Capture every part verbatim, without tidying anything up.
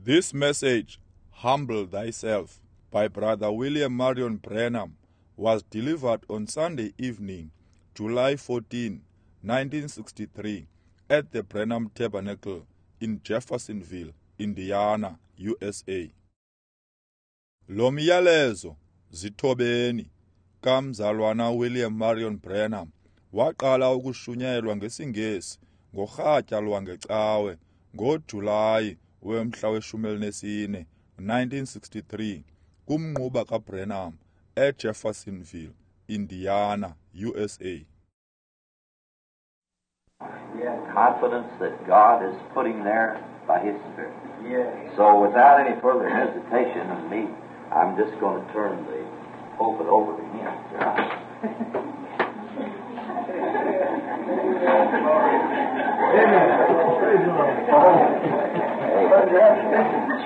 This message, Humble Thyself, by Brother William Marion Branham, was delivered on Sunday evening, July fourteenth, nineteen sixty-three, at the Branham Tabernacle in Jeffersonville, Indiana, U S A. Lo myalezo, zithobeni, kamzalwana William Marion Branham, waqala ukushunyayelwa ngesiNgesi ngorhatya lwangecawe ngoJulayi wemhla weshumi elinesine, nineteen sixty-three, kumnquba kaBranham eJeffersonville, Indiana, U S A. Yeah. Confidence that God is putting there by His Spirit. Yeah. So without any further hesitation of me, I'm just going to turn the pulpit over to him. Hey.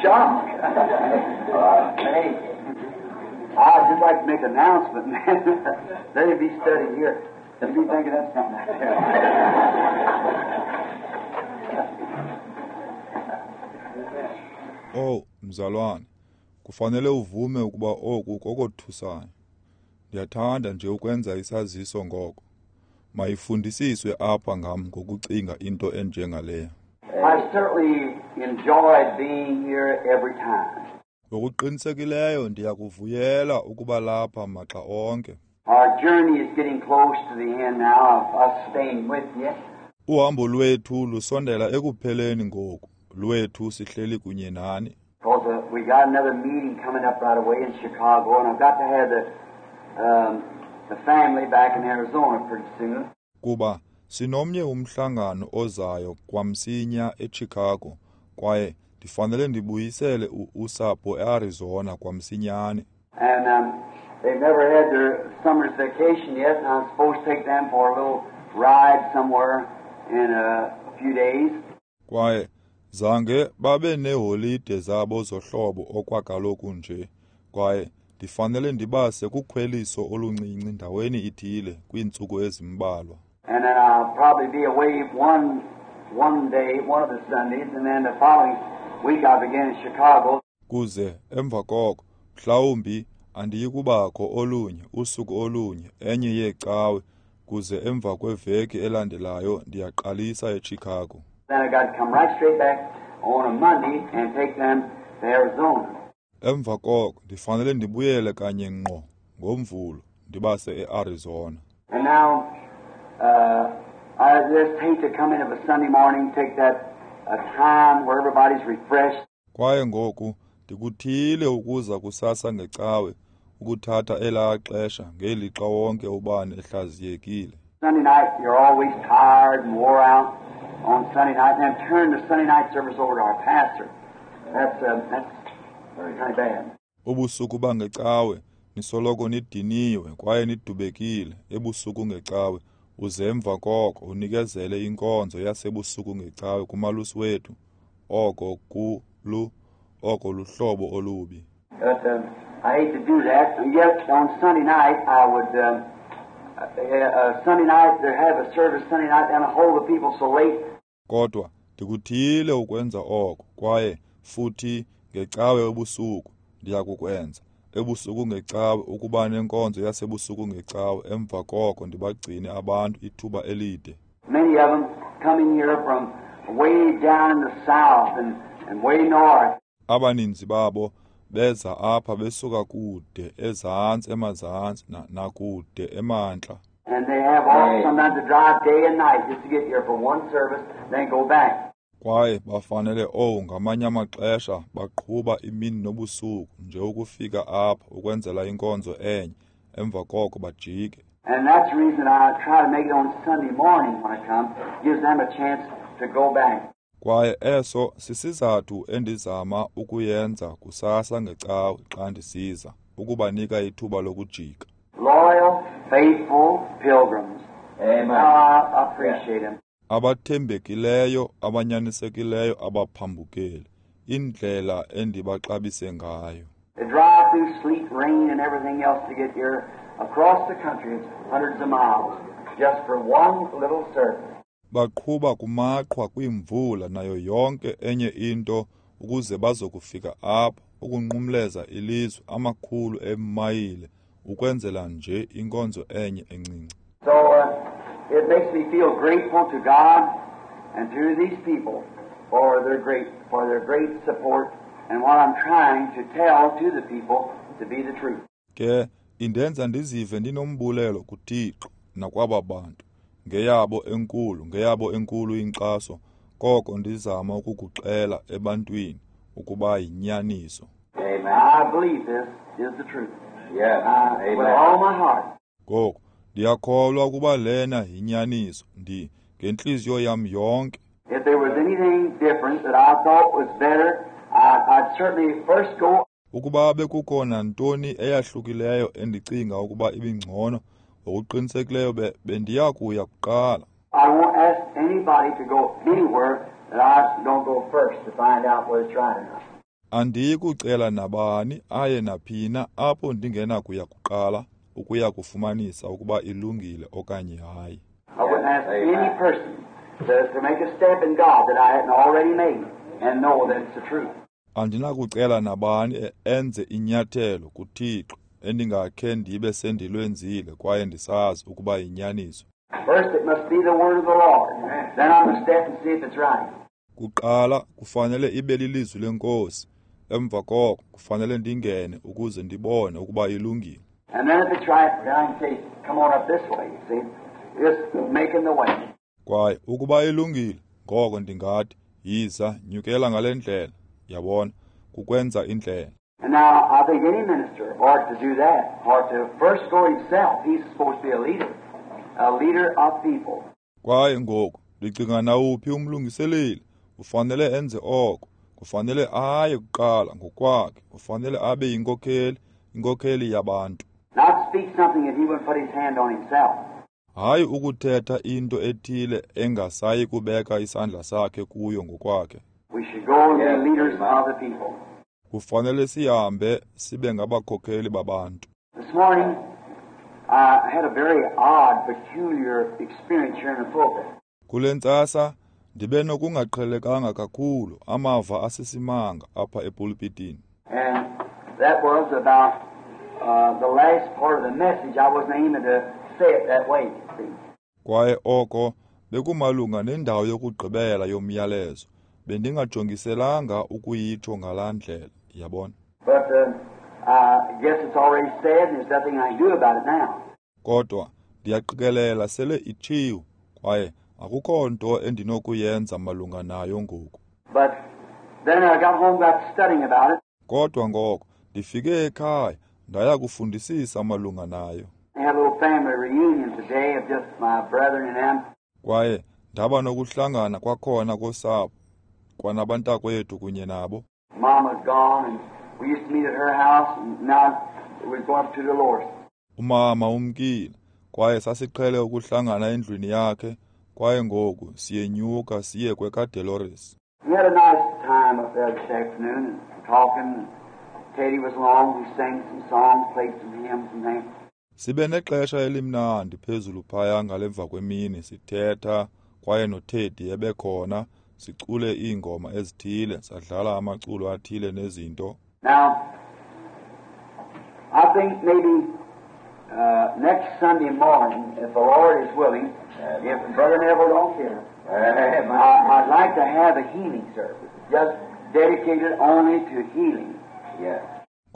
Shock. Uh, hey, I'd just like to make an announcement, man. Let it be studied here. Let me think of that something. Oh, mzalwane, kufanele uvume ukuba oku kokothusayo. Ndiyathanda nje ukwenza isaziso ngoko. Mayifundisiswe apha ngam ngokucinga into enjengaleya. I certainly enjoyed being here every time. Ngokuqinisekileyo ndiyakuvuyela ukuba lapha maxa onke. Our journey is getting close to the end now of us staying with you. Uhambo lwethu lusondela ekupheleni ngoku. Lwethu sihleli kunye nani. Because uh, we got another meeting coming up right away in Chicago, and I've got to have the um, the family back in Arizona pretty soon. Kuba sinomnye umhlangano ozayo kwamsinya eChicago, kwaye ndifanele ndibuyisele usapho eArizona kwamsinyane. And um, they've never had their summer's vacation yet, and I'm supposed to take them for a little ride somewhere in a few days. Kwaye zange babe neeholide zabo zohlobo okwakaloku nje, kwaye ndifanele ndibase kukhweliso oluncinci ndaweni ithile kwiintsuku ezimbalwa. And then I'll probably be away one, one day, one of the Sundays, and then the following week I'll begin in Chicago. Kuze emva koko mhlawumbi andiyikubakho olunye usuku olunye enye yeecawe, kuze emva kweveki elandelayo ndiyaqalisa eChicago. Then I got to come right straight back on a Monday and take them to Arizona. Emva koko ndifanele ndibuyele kanye ngqo ngoMvulo ndibase eArizona. And now uh, I just hate to come in of a Sunday morning, take that a time where everybody's refreshed. Kwaye ngoku ndikuthile ukuza kusasa ngecawe ukuthatha elaa xesha ngelixa wonke ubani ehlaziyekile. Sunday night you're always tired and wore out on Sunday night, and then turn the Sunday night service over to our pastor. That's uh, that's kind of bad. Ubusuku bangecawe nisoloko nidiniwe kwaye nidubekile ebusuku ngecawe, uze emva koko unikezele inkonzo yasebusuku ngecawe kumalusi wethu. Oko kulu oko luhlobo olubi. But um, I hate to do that, and yet on Sunday night I would um, uh, uh, Sunday night they have a service Sunday night and hold the people so late. Kodwa ndikuthile ukwenza oko, kwaye futhi ngecawe ebusuku ndiyakukwenza ebusuku ngecawe ukuba nenkonzo yasebusuku ngecawe, emva koko ndibagcine abantu ithuba elide. Many of them coming here from way down in the south and, and way north. Abaninzi babo beza apha besuka kude ezantsi emazantsi nakude emantla. And they have all sometimes to drive day and night just to get here for one service, then go back. Kwaye bafanele oh ngamanye amaxesha baqhuba imini nobusuku nje ukufika apha ukwenzela inkonzo enye, emva koko bajike. And that's the reason I try to make it on Sunday morning when I come, gives them a chance to go back. Kwaye eso sisizathu endizama ukuyenza kusasa ngecawe xa ndisiza, ukubanika ithuba lokujika. Loyal, faithful pilgrims. Amen. I appreciate them. Abathembekileyo, abanyanisekileyo, abaphambukeli, indlela endibaxabise ngayo. They drive through sleet, rain, and everything else to get here across the country, hundreds of miles, just for one little service. Baqhuba kumaqhwa kwimvula nayo yonke enye into ukuze bazokufika apha, ukunqumleza ilizwe amakhulu eemayile, ukwenzela nje inkonzo enye encinci. So uh, it makes me feel grateful to God and to these people for their great, for their great support and what I'm trying to tell to the people to be the truth. Ke indenza ndizive ndinombulelo kuThixo nakwaba bantu ngeyabo enkulu, ngeyabo enkulu inkxaso, koko ndizama ukukuxela ebantwini ukuba yinyaniso. Amen. I believe this is the truth. Yes. Uh, with Amen. all my heart. Ngoku ndiyakholwa ukuba lena yinyaniso, ndi ngentliziyo yam yonke. If there was anything different that I thought was better, I, I'd certainly first go. Ukuba bekukho nantoni eyahlukileyo endicinga ukuba ibingcono, ngokuqinisekileyo be, bendiya kuya kuqala. I won't ask anybody to go anywhere that I don't go first to find out whether it's right or not. Andiyi kucela nabani aye naphina apho ndingenakuya kuqala ukuya kufumanisa ukuba ilungile okanye hayi. I wouldn't ask Amen. any person to, to make a step in God that I hadn't already made and know that it's the truth. Andinakucela nabani enze inyathelo kuThixo endingakhe ndibe sendilwenzile kwaye ndisazi ukuba yinyaniso. First, it must be the word of the Lord. Then I'm going to step and see if it's right. Kuqala kufanele ibe lilizwi leNkosi. Emva koko kufanele ndingene ukuze ndibone ukuba ilungile. And then if it's right, then I can say, come on up this way, you see. Just making the way. Kwaye ukuba ilungile, ngoko ndingathi, yiza, nyukela ngale ndlela. Yabona, kukwenza indlela. And now, I think any minister ought to do that, ought to first go himself. He's supposed to be a leader, a leader of people. Kwaye ngoku, ndicinga nawuphi umlungiseleli, ufanele enze oko. Kufanele aye kuqala ngokwakhe, ufanele abe yinkokheli, inkokheli yabantu. Not speak something that he wouldn't put his hand on himself. Hayi ukuthetha into ethile engasayi kubeka isandla sakhe kuyo ngokwakhe. We should go and Yes, be leaders amen. of the people. Kufanele sihambe sibe ngabakhokheli babantu. This morning, I had a very odd, peculiar experience here in the pulpit. Kule ntsasa ndibe nokungaqhelekanga kakhulu amava asisimanga apha epulpitini. And that was about uh, the last part of the message. I wasn't aiming to say it that way, you see. Kwaye oko bekumalunga nendawo yokugqibela yomyalezo. Bendingajongiselanga ukuyitsho ngalaa ndlela, yabona. But uh, I guess it's already said, and there's nothing I can do about it now. Kodwa ndiyaqikelela sele itshiwo kwaye akukho nto endinokuyenza malunga nayo ngoku. But then I got home, got studying about it. Kodwa ngoko ndifike ekhaya ndaya kufundisisa malunga nayo. I had a little family reunion today of just my brethren and them. Kwaye ndaba nokuhlangana kwakhona kosapho kwanabantakwethu kunye nabo. Mama's gone, and we used to meet at her house, and now we're going up to Dolores. Umama umkile kwaye sasiqhele ukuhlangana endlwini yakhe kwaye ngoku siyenyuka siye kwekaDolores. We had a nice time up there this afternoon and talking. Teddy was along. We sang some songs, played some hymns and things. Sibe nexesha elimnandi phezulu phaya ngalemva kwemini sithetha kwaye noTeddy ebekhona, sicule iingoma ezithile, sadlala amaculo athile nezinto. Now, I think maybe uh, next Sunday morning, if the Lord is willing, if Brother Neville don't care, Amen. I, I'd like to have a healing service, just dedicated only to healing. Yes.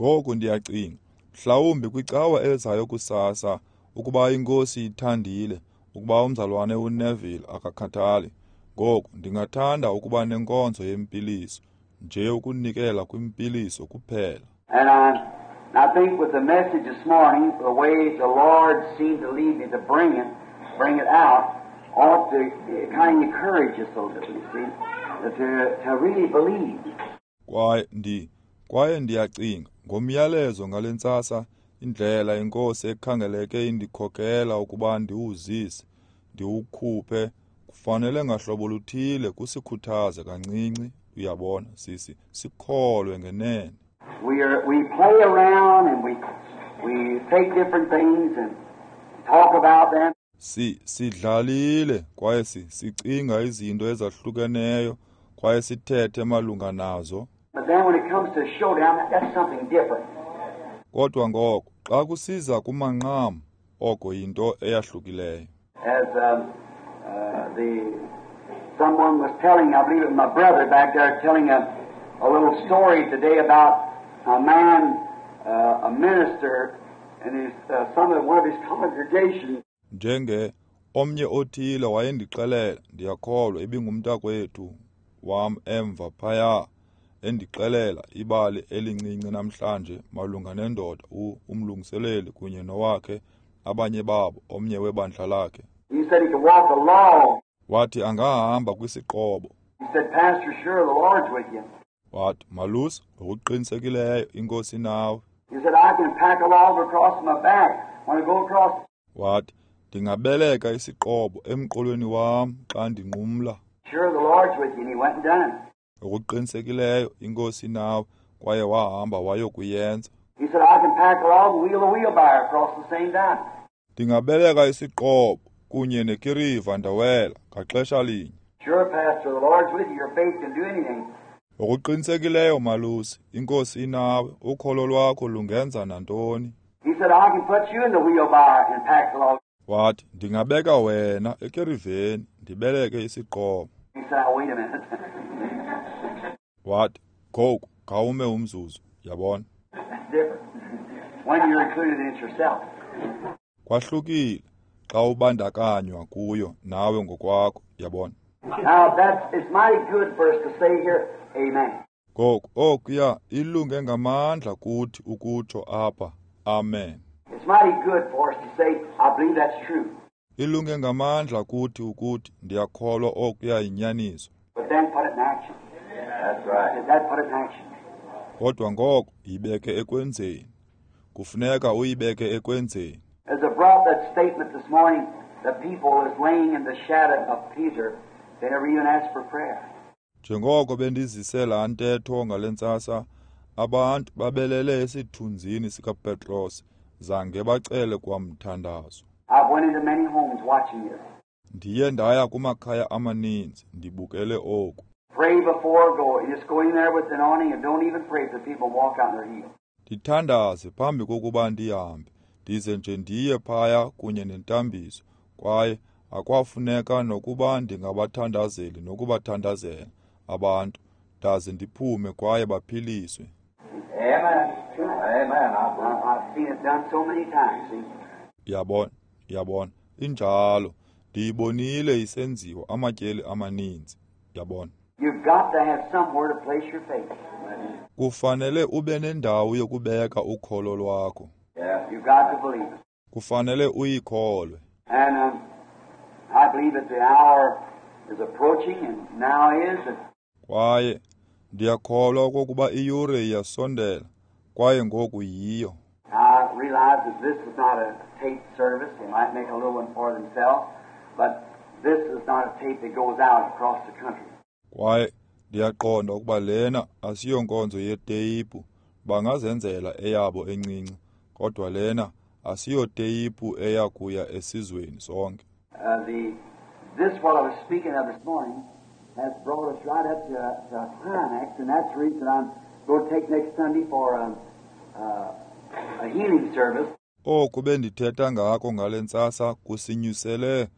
Ngoku ndiyacinga, mhlawumbi kwicawa ezayo kusasa, ukuba iNkosi ithandile, ukuba umzalwane uNeville akakhathali. Ngoku ndingathanda ukuba nenkonzo yempiliso, nje ukunikela kwimpiliso kuphela. And I, I think with the message this morning, the way the Lord seemed to lead me to bring it, bring it out, ought to kind of encourage us a little, you see, to, to really believe. Kwaye ndi kwaye ndiyacinga ngomyalezo ngale ntsasa, indlela iNkosi ekhangeleke indikhokela ukuba ndiwuzise, ndiwukhuphe, kufanele ngahlobo luthile kusikhuthaze kancinci, uyabona, sisi sikholwe ngenene. We are, we play around and we, we take different things and talk about them. Si sidlalile kwaye si sicinga izinto ezahlukeneyo kwaye sithethe malunga nazo. But then when it comes to a showdown, that, that's something different. Kodwa ngoko xa kusiza kumanqam, oko yinto eyahlukileyo. As um, uh, the someone was telling, I believe it was my brother back there, telling a, a little story today about a man, uh, a minister, and his, uh, some of one of his congregation. Njenge omnye othile wayendixelela, ndiyakholwa ibingumntakwethu wam emva phaya, endixelela ibali elincinci namhlanje malunga nendoda umlungiseleli kunye nowakhe abanye babo omnye webandla lakhe. He said he could walk a log. Wathi angahamba kwisiqobo. He said, Pastor, sure the Lord's with you. Wathi, Malusi, ngokuqinisekileyo inkosi nawe. He said, I can pack a log across my back when I go across. Wathi, ndingabeleka isiqobo emqolweni wam xa ndinqumla. Sure the Lord's with you, and he went and done it. Ngokuqinisekileyo inkosi nawe, kwaye wahamba wayokuyenza. He said, I can pack a log and wheel a wheelbarrow across the same time. Ndingabeleka isiqobo kunye nekiriva ndawela ngaxesha linye. Sure, Pastor, the Lord's with you. Your faith can do anything. Ngokuqinisekileyo malusi, inkosi inawe, ukholo lwakho lungenza nantoni. He said, I can put you in the wheelbarrow and pack the log. Wathi, ndingabeka wena ekiriveni ndibeleke isiqobo. He said, oh, wait a minute. Wathi, ngoku khawume umzuzu, yabona. That's different. When you're included in it yourself. Kwahlukile xa ubandakanywa kuyo nawe ngokwakho, yabona. Now that's it's mighty good for us to say here, amen. Ngoku okuya ilunge ngamandla kuthi ukutsho apha, amen. It's mighty good for us to say, I believe that's true. Ilunge ngamandla kuthi ukuthi ndiyakholwa okuya yinyaniso. But then put it in action. That's right. That put it in action. Kodwa ngoko yibeke ekwenzeni. Kufuneka uyibeke ekwenzeni. As I brought that statement this morning, the people is laying in the shadow of Peter. They never even asked for prayer. Njengoko bendizise laa ntetho ngale ntsasa, abantu babelele esithunzini sikaPetros, zange bacele kwamthandazo. I've went into many homes watching this. Ndiye ndaya kumakhaya amaninzi ndibukele oku. Pray before go. You just go in there with an awning and don't even pray for people walk out in their heels. Ndithandaze phambi kokuba ndihambe, ndize nje ndiye phaya kunye nentambiso, kwaye akwafuneka nokuba ndingabathandazeli nokubathandazela abantu, ndaze ndiphume kwaye baphiliswe. Amen. Amen. I've seen it done so many times. Yabona, yabona, injalo. Ndiyibonile isenziwa amatyeli amaninzi. Yabona. You've got to have somewhere to place your faith. Kufanele ube nendawo yokubeka ukholo lwakho. Yeah. You've got to believe it. Kufanele uyikholwe. And um, I believe that the hour is approaching, and now is. And Kwaye ndiyakholwa okokuba iyure iyasondela, kwaye ngoku yiyo. I realize that this is not a tape service. They might make a little one for themselves, but this is not a tape that goes out across the country. Kwaye ndiyaqonda ukuba lena asiyonkonzo yeteyipu, bangazenzela eyabo encinci, kodwa lena asiyoteyipu eya kuya esizweni sonke. Uh, the this what I was speaking of this morning has brought us right up to a, to a climax, and that's the reason I'm going to take next Sunday for a, uh, a healing service. Oku bendithetha ngako ngale ntsasa kusinyusele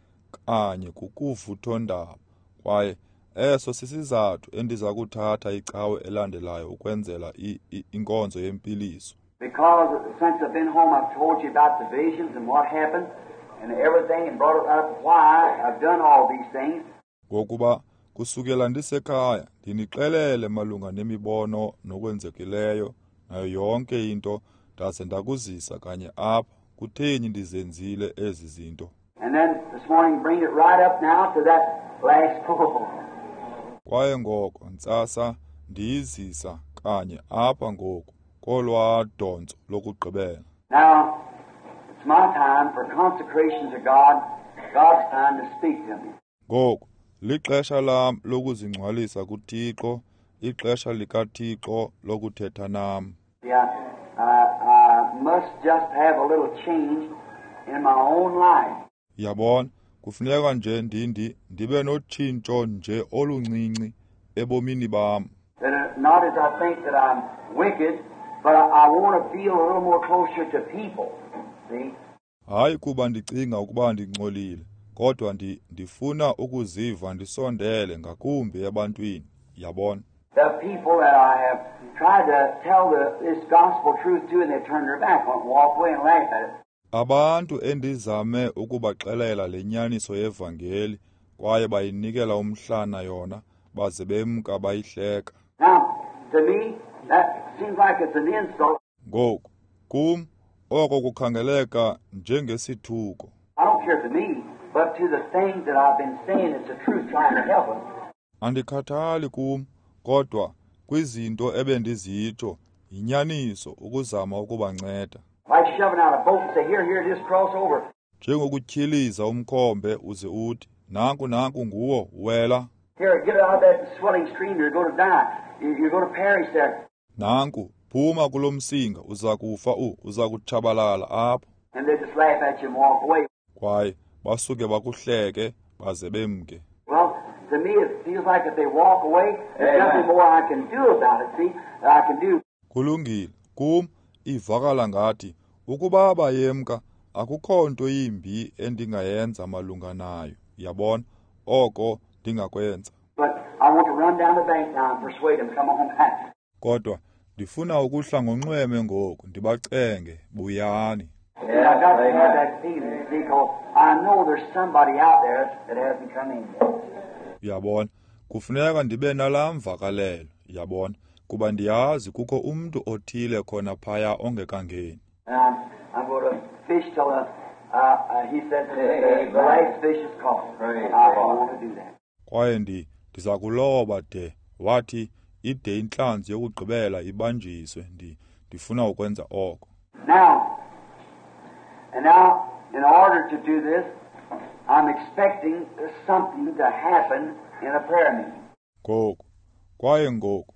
kanye kukuvuthondaba, kwaye eso sisizathu endiza kuthatha icawe elandelayo ukwenzela inkonzo yempiliso. Because since I've been home, I've told you about the visions and what happened and everything, and brought it up why I've done all these things. Ngokuba kusukela ndisekhaya ndinixelele malunga nemibono nokwenzekileyo nayo yonke into, ndaze ndakuzisa kanye apha kutheni ndizenzile ezi zinto. And then this morning bring it right up now to that last pull. Kwaye ngoko ntsasa ndiyizisa kanye apha ngoku kolwaa dontso lokugqibela. Now it's my time for consecration to God, God's time to speak to me. Ngoku lixesha lam lokuzingcwalisa kuThixo, ixesha likaThixo lokuthetha nam. Yeah, I, I must just have a little change in my own life. Yabona, kufuneka nje ndindi ndibe notshintsho nje oluncinci ebomini bam. That not as I think that I'm wicked, but I, I want to feel a little more closer to people. See? Hayi kuba ndicinga ukuba ndingcolile, kodwa ndi, ndifuna ukuziva ndisondele ngakumbi ebantwini, yabona. The people that I have tried to tell the, this gospel truth to, and they turn their back on it and walk away and laugh at it. Abantu endizame ukubaxelela le nyaniso yevangeli kwaye bayinikela umhlana yona baze bemka bayihleka. Now, to me, that seems like it's an insult. Ngoku, kum, oko kukhangeleka njengesithuko. I don't care to me, but to the things that I've been saying, it's the truth trying to help them. Andikhathali kum, kodwa kwizinto ebendizitsho yinyaniso ukuzama ukubanceda. Like shoving out a boat and say, here, here, just cross over. Njengokutyhiliza umkhombe uze uthi, nanku nanku nguwo, wela. Here, get out of that swelling stream, you're going to die. You're going to perish there. Nanku, phuma kulo msinga, uza kufa u, uza kutshabalala apho. And they just laugh at you and walk away. Kwaye basuke bakuhleke baze bemke. Well, to me it feels like if they walk away, there's nothing more I can do about it, see, that I can do. Kulungile, kum ivakala ngathi ukuba bayemka akukho nto yimbi endingayenza malunga nayo, yabona, oko ndingakwenza. But I want to run down the bank now and persuade them come on back. Kodwa ndifuna ukuhla ngonxweme ngoku ndibacenge buyani. Yeah, I got to have that feeling, because I know there's somebody out there that hasn't come in yet. Yabona, kufuneka ndibe nalaa mvakalelo, yabona, kuba ndiyazi kukho umntu othile khona phaya ongekangeni. And I'm, I'm going to fish till uh, uh, he said the, the last fish is caught. I, I want to do that. Kwaye ndi ndiza kuloba de wathi ide intlanzi yokugqibela ibanjiswe, ndi ndifuna ukwenza oko. Now, and now, in order to do this, I'm expecting something to happen in a prayer meeting. Ngoku, kwaye ngoku,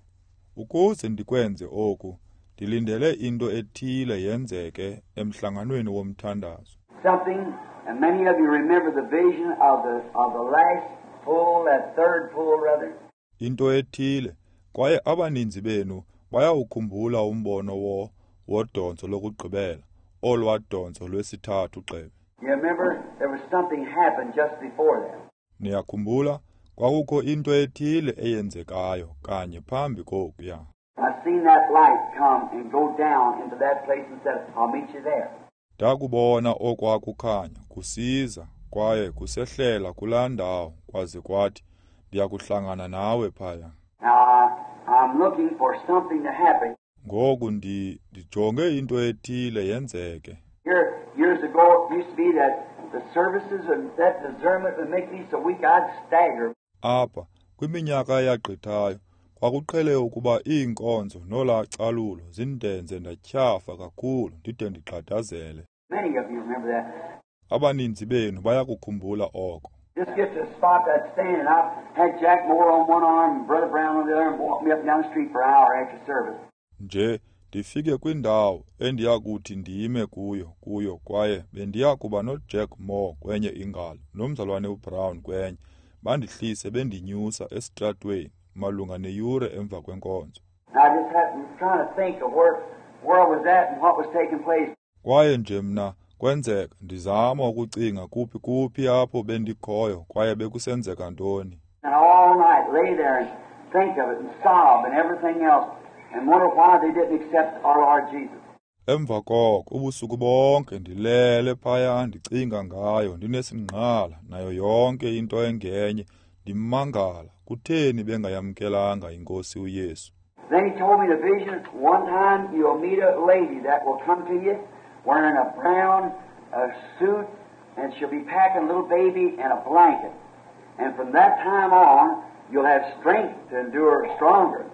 ukuze ndikwenze oku, ndilindele into ethile yenzeke emhlanganweni womthandazo. Something, and many of you remember the vision of the of the last pull, that third pull rather. Into ethile, kwaye abaninzi benu bayawukhumbula umbono wo wodonso lokugqibela, olwadonso lwesithathu gxebe. You remember there was something happened just before that. Niyakhumbula kwakukho into ethile eyenzekayo kanye phambi kokuya. I seen that light come and go down into that place and said, I'll meet you there. Ndakubona okwakukhanya kusiza kwaye kusehlela kulaa ndawo kwaze kwathi ndiyakuhlangana nawe phaya. Now I, I'm looking for something to happen. Ngoku ndi ndijonge into ethile yenzeke. Here, years ago, it used to be that the services and that discernment would make me so weak I'd stagger. Apha, kwiminyaka eyagqithayo, kwakuqhele ukuba iinkonzo nolaa calulo zindenze ndatyhafa kakhulu ndide ndigxadazele. Many of you remember that. Abaninzi benu bayakukhumbula oko. Just get to the spot I'd stand, and I had Jack Moore on one arm and Brother Brown on the other, and walk me up and down the street for an hour after service. Nje ndifike kwindawo endiyakuthi ndime kuyo kuyo kwaye bendiyakuba noJack Moore kwenye ingalo nomzalwane uBrown kwenye, bandihlise bendinyusa esitratweni malunga neyure emva kwenkonzo. I just had, I'm trying to think of where, where I was at and what was taking place. Kwaye nje mna kwenzeka ndizama ukucinga kuphi kuphi apho bendikhoyo kwaye bekusenzeka ntoni. And all night lay there and think of it and sob and everything else and wonder why they didn't accept our Lord Jesus. Emva koko ubusuku bonke ndilele phaya ndicinga ngayo ndinesingqala nayo yonke into engenye ndimangala kutheni bengayamkelanga inkosi uYesu. Then he told me the vision, one time you'll meet a lady that will come to you wearing a brown uh, suit, and she'll be packing a little baby and a blanket. And from that time on, you'll have strength to endure stronger.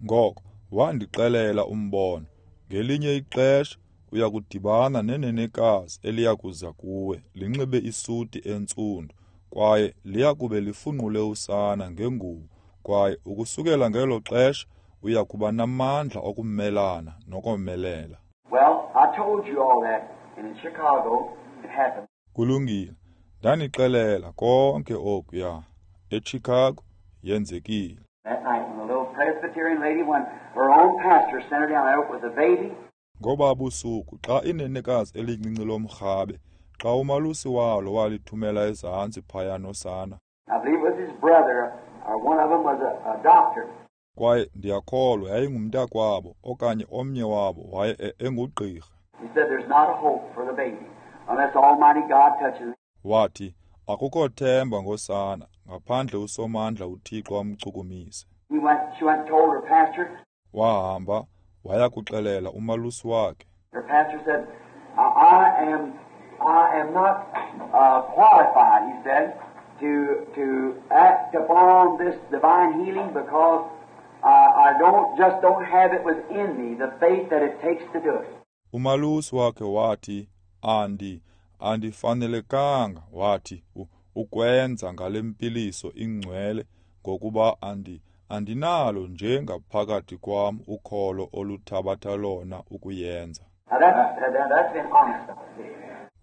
Ngoko wandixelela umbono, ngelinye ixesha uyakudibana nenenekazi eliyakuza kuwe linxibe isuti entsundu kwaye liyakube lifunqule usana ngengubo, kwaye ukusukela ngelo xesha uyakuba namandla okumelana nokomelela. Well, I told you all that, and in Chicago it happened. Kulungile, ndanixelela konke okuya. eChicago yenzekile. That night when the little Presbyterian lady, when her own pastor sent her down there with a baby. Ngoba busuku xa inenekazi elincinci lomrhabe xa umalusi walo walithumela ezantsi phaya nosana. I believe it was his brother, or one of them was a, a doctor. Kwaye ndiyakholwa yayingumntakwabo okanye omnye wabo waye engugqirha. He said there's not a hope for the baby unless Almighty God touches him. Wathi akukho themba ngosana ngaphandle uSomandla uThixo amchukumise. He went, she went and told her pastor. Wahamba waya kuxelela umalusi wakhe. Her pastor said, I am I am not uh, qualified, he said, to to act upon this divine healing because uh, I don't just don't have it within me, the faith that it takes to do it. Umalusi wakhe wathi, andi andifanelekanga, wathi, ukwenza ngale mpiliso ingcwele ngokuba andi andinalo nje ngaphakathi kwam ukholo oluthabatha lona ukuyenza.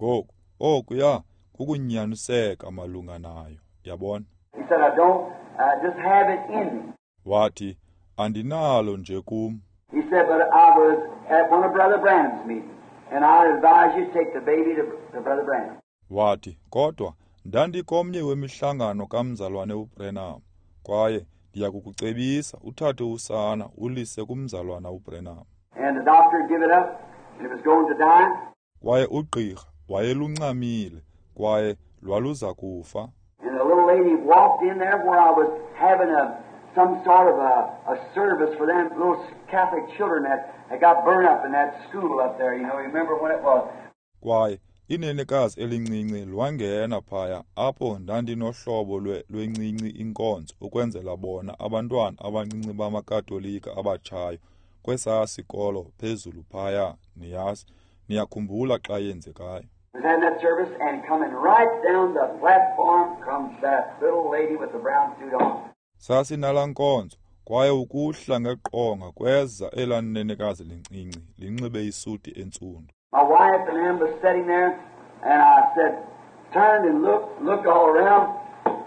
Ngoku okuya kukunyaniseka malunga nayo, yabona. He said, I don't uh, just have it in me. Wathi andinalo nje kum. He said, but I was at one of Brother Branham's meetings, and I advise you to take the baby to, to Brother Branham. Wathi kodwa ndandikomnye wemihlangano kamzalwane uBranham, kwaye ndiyakukucebisa uthathe usana ulise kumzalwana uBranham. And the doctor gave it up, and it was going to die. Kwaye ugqirha wayeluncamile kwaye lwaluza kufa. And the little lady walked in there where I was having a some sort of a, a service for them little Catholic children that, that got burned up in that school up there. You know, you remember when it was. Kwaye inenekazi elincinci lwangena phaya apho ndandinohlobo lwencinci inkonzo ukwenzela bona abantwana abancinci bamaKatolika abatshayo kwesaa sikolo phezulu phaya, niyazi, niyakhumbula xa yenzekayo. Was having that service, and coming right down the platform comes that little lady with the brown suit on. Sasinala nkonzo kwaye ukuhla ngeqonga kweza elaa nenekazi lincinci linxibe isuti entsundu. My wife and them was sitting there, and I said, turned and looked, looked all around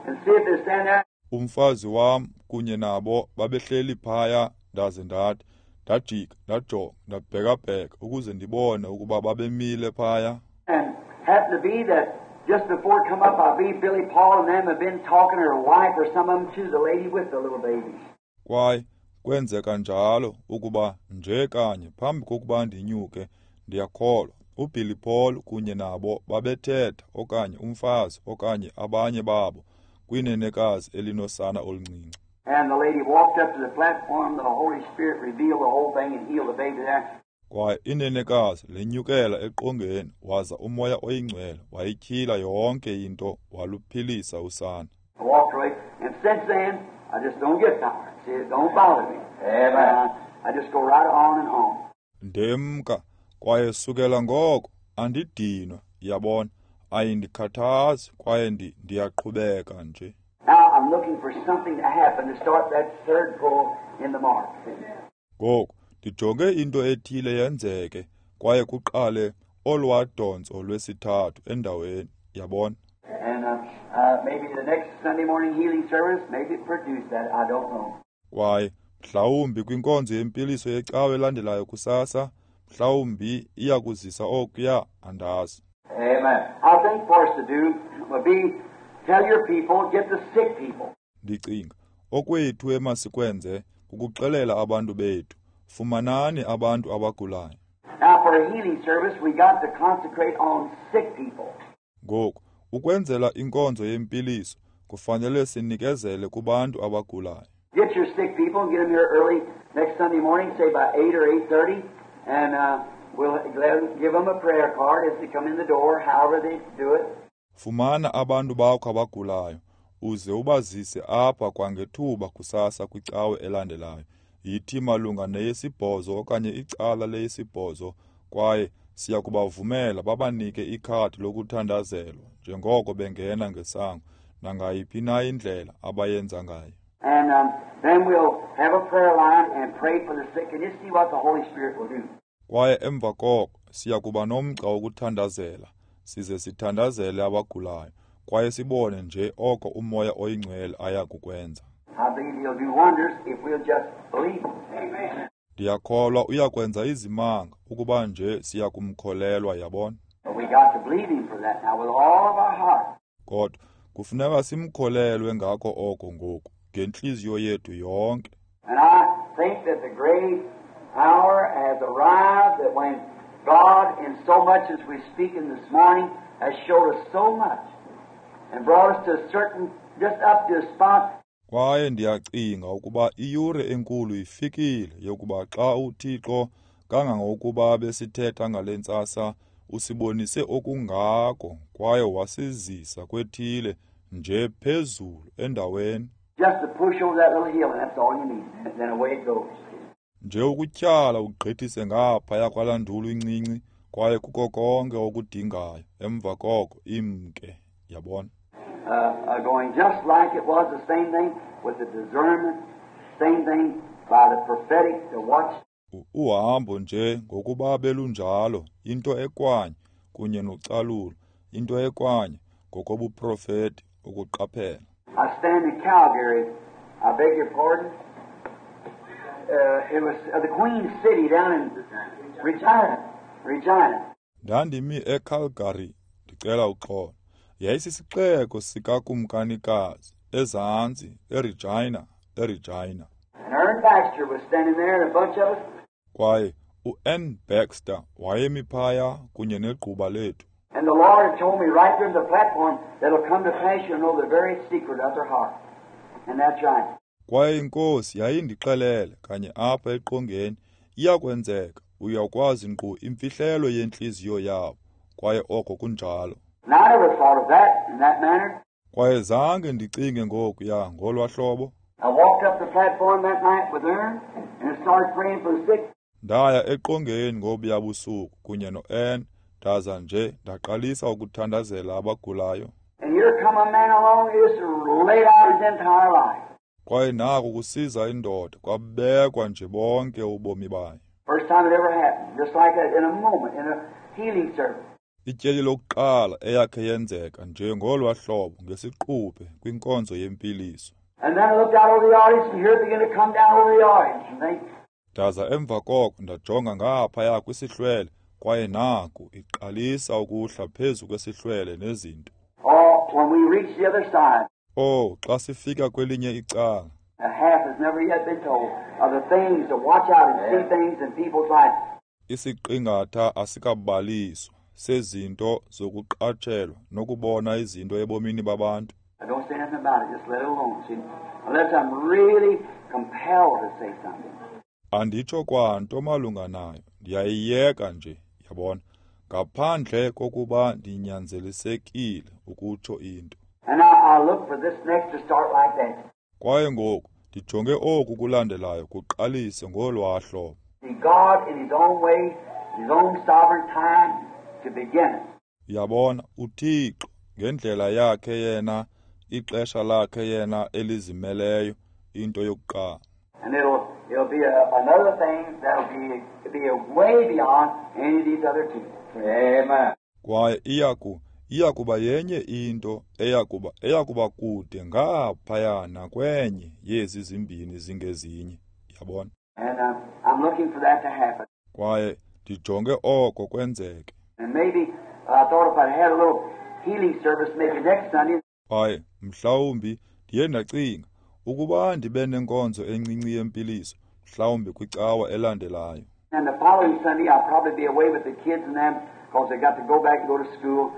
and see if they stand there. Umfazi wam kunye nabo babehleli phaya, ndaze ndathi ndajika ndajonga ndabhekabheka ukuze ndibone ukuba babemile phaya. And happened to be that just before it come up, I believe Billy Paul and them have been talking to her wife or some of them to the lady with the little baby. Kwaye kwenzeka njalo ukuba nje kanye phambi kokuba ndinyuke, ndiyakholwa uBilly Paul kunye nabo babethetha okanye umfazi okanye abanye babo kwinenekazi elinosana oluncinci. And the lady walked up to the platform, the Holy Spirit revealed the whole thing and healed the baby there. Kwaye inenekazi lenyukela eqongeni waza uMoya oyiNgcwele wayityhila yonke into waluphilisa usana. I walked away, and since then I just don't get tired. See, it don't bother me. Amen. Uh, I just go right on and on. Ndemka kwaye sukela ngoko andidinwa, yabona, ayindikhathazi kwaye ndiyaqhubeka nje. Now I'm looking for something to happen to start that third pull in the mark. Ngoku ndijonge into ethile yenzeke kwaye kuqale olwadonso lwesithathu endaweni, yabona. And uh, uh, maybe the next Sunday morning healing service, maybe it produced that, I don't know. Kwaye mhlawumbi kwinkonzo yempiliso yecawe elandelayo kusasa, mhlawumbi iyakuzisa okuya, andazi. Amen. I think for us to do would be tell your people, get the sick people. Ndicinga okwethu emasikwenze kukuxelela abantu bethu, fumanani abantu abagulayo. Now for a healing service we got to concentrate on sick people. Ngoku ukwenzela inkonzo yempiliso kufanele sinikezele kubantu abagulayo. Get your sick people and get them here early next Sunday morning, say by eight or eight thirty, and uh, we'll give them a prayer card as they come in the door, however they do it. Fumana abantu bakho abagulayo uze ubazise apha kwangethuba kusasa kwicawe elandelayo. Yithi malunga neyesibhozo okanye icala leyesibhozo, kwaye siya kubavumela babanike ikhadi lokuthandazelwa njengoko bengena ngesango nangayiphi na indlela abayenza ngayo. And um, then we'll have a prayer line and pray for the sick and just see what the Holy Spirit will do. Kwaye emva koko siya kuba nomgca wokuthandazela size sithandazele abagulayo kwaye sibone nje oko uMoya oyiNgcwele aya kukwenza. I believe He'll do wonders if we'll just believe Him. Amen. Ndiyakholwa uyakwenza izimanga ukuba nje siyakumkholelwa, yabona. But we got to believe Him for that now with all of our heart. Kodwa kufuneka simkholelwe ngako oko ngoku ngentliziyo yethu yonke. And I think that the great hour has arrived that when God, in so much as we're speaking this morning, has showed us so much and brought us to a certain, just up to a spot. Kwaye ndiyacinga ukuba iyure enkulu ifikile yokuba xa uThixo kangangokuba besithetha ngale ntsasa usibonise okungako kwaye wasizisa kwethile nje phezulu endaweni. Just to push over that little hill and that's all you need. And then away it goes. Nje ukutyhala ugqithise ngaphaya kwalaa ndulu incinci kwaye kuko konke okudingayo emva koko imke, yabona. Uh, uh, going just like it was the same thing with the discernment, same thing by the prophetic to watch. Uhambo nje ngokuba belunjalo into ekwanye kunye nocalulo, into ekwanye ngokobuprofeti ukuqaphela. I stand in Calgary, I beg your pardon. Uh, it was uh, the Queen City down in Regina, Regina. Ndandimi eCalgary, ndicela uxolo. Yayisisixeko sikakumkanikazi ezantsi eRegina, eRegina. And Ern Baxter was standing there and a bunch of us. Kwaye uErn Baxter wayemi phaya kunye negquba lethu. And the Lord had told me right there on the platform that it'll come to pass you'll know the very secret of their heart. And that's right. Kwaye inkosi yayindixelele kanye apha eqongeni iyakwenzeka uyakwazi nkqu imfihlelo yentliziyo yabo kwaye oko kunjalo. And I never thought of that in that manner. Kwaye zange ndicinge ngokuya ngolwa hlobo. I walked up the platform that night with Ern and started praying for the sick. Ndaya eqongeni ngobuya busuku kunye noErn ndaza nje ndaqalisa ukuthandazela abagulayo. And here come a man along just laid out his entire life. Kwaye naku kusiza indoda kwabekwa nje bonke ubomi bayo. First time it ever happened, just like that in a moment in a healing service. Ityeli lokuqala eyakhe yenzeka nje ngolwa hlobo ngesiquphe kwinkonzo yempiliso. And then I looked out over the audience and here it began to come down over the audience and they Ndaza emva koko ndajonga ngaphaya kwisihlwele kwaye naku iqalisa ukuhla phezu kwesihlwele nezinto. Oh, when we reached the other side. Oh, xa sifika kwelinye icala. A half has never yet been told of the things to watch out and see things in people's life. Isiqingatha asikabaliswa sezinto zokuqatshelwa nokubona izinto ebomini babantu. I don't say nothing about it, just let it alone. See, unless I'm really compelled to say something. Anditsho kwanto malunga nayo, ndiyayiyeka nje, yabona, ngaphandle kokuba ndinyanzelisekile ukutsho into. And now I look for this next to start like that. Kwaye ngoku ndijonge oku kulandelayo kuqalise ngolwa hlobo. See, God in His own way, His own sovereign time to begin it. Yabona, uThixo ngendlela yakhe yena, ixesha lakhe yena elizimeleyo, into yokuqala. And it'll it'll be a, another thing that'll be be a way beyond any of these other two. Amen. Kwaye iyaku iyakuba yenye into eyakuba eyakuba kude ngaphaya nakwenye yezi zimbini zingezinye, yabona. And um, I'm looking for that to happen. Kwaye ndijonge oko kwenzeke. And maybe I thought if I had a little healing service maybe next Sunday. Kwaye mhlawumbi ndiye ndacinga ukuba ndibe nenkonzo encinci yempiliso mhlawumbi kwicawa elandelayo. And the following Sunday I'll probably be away with the kids and them because they got to go back and go to school.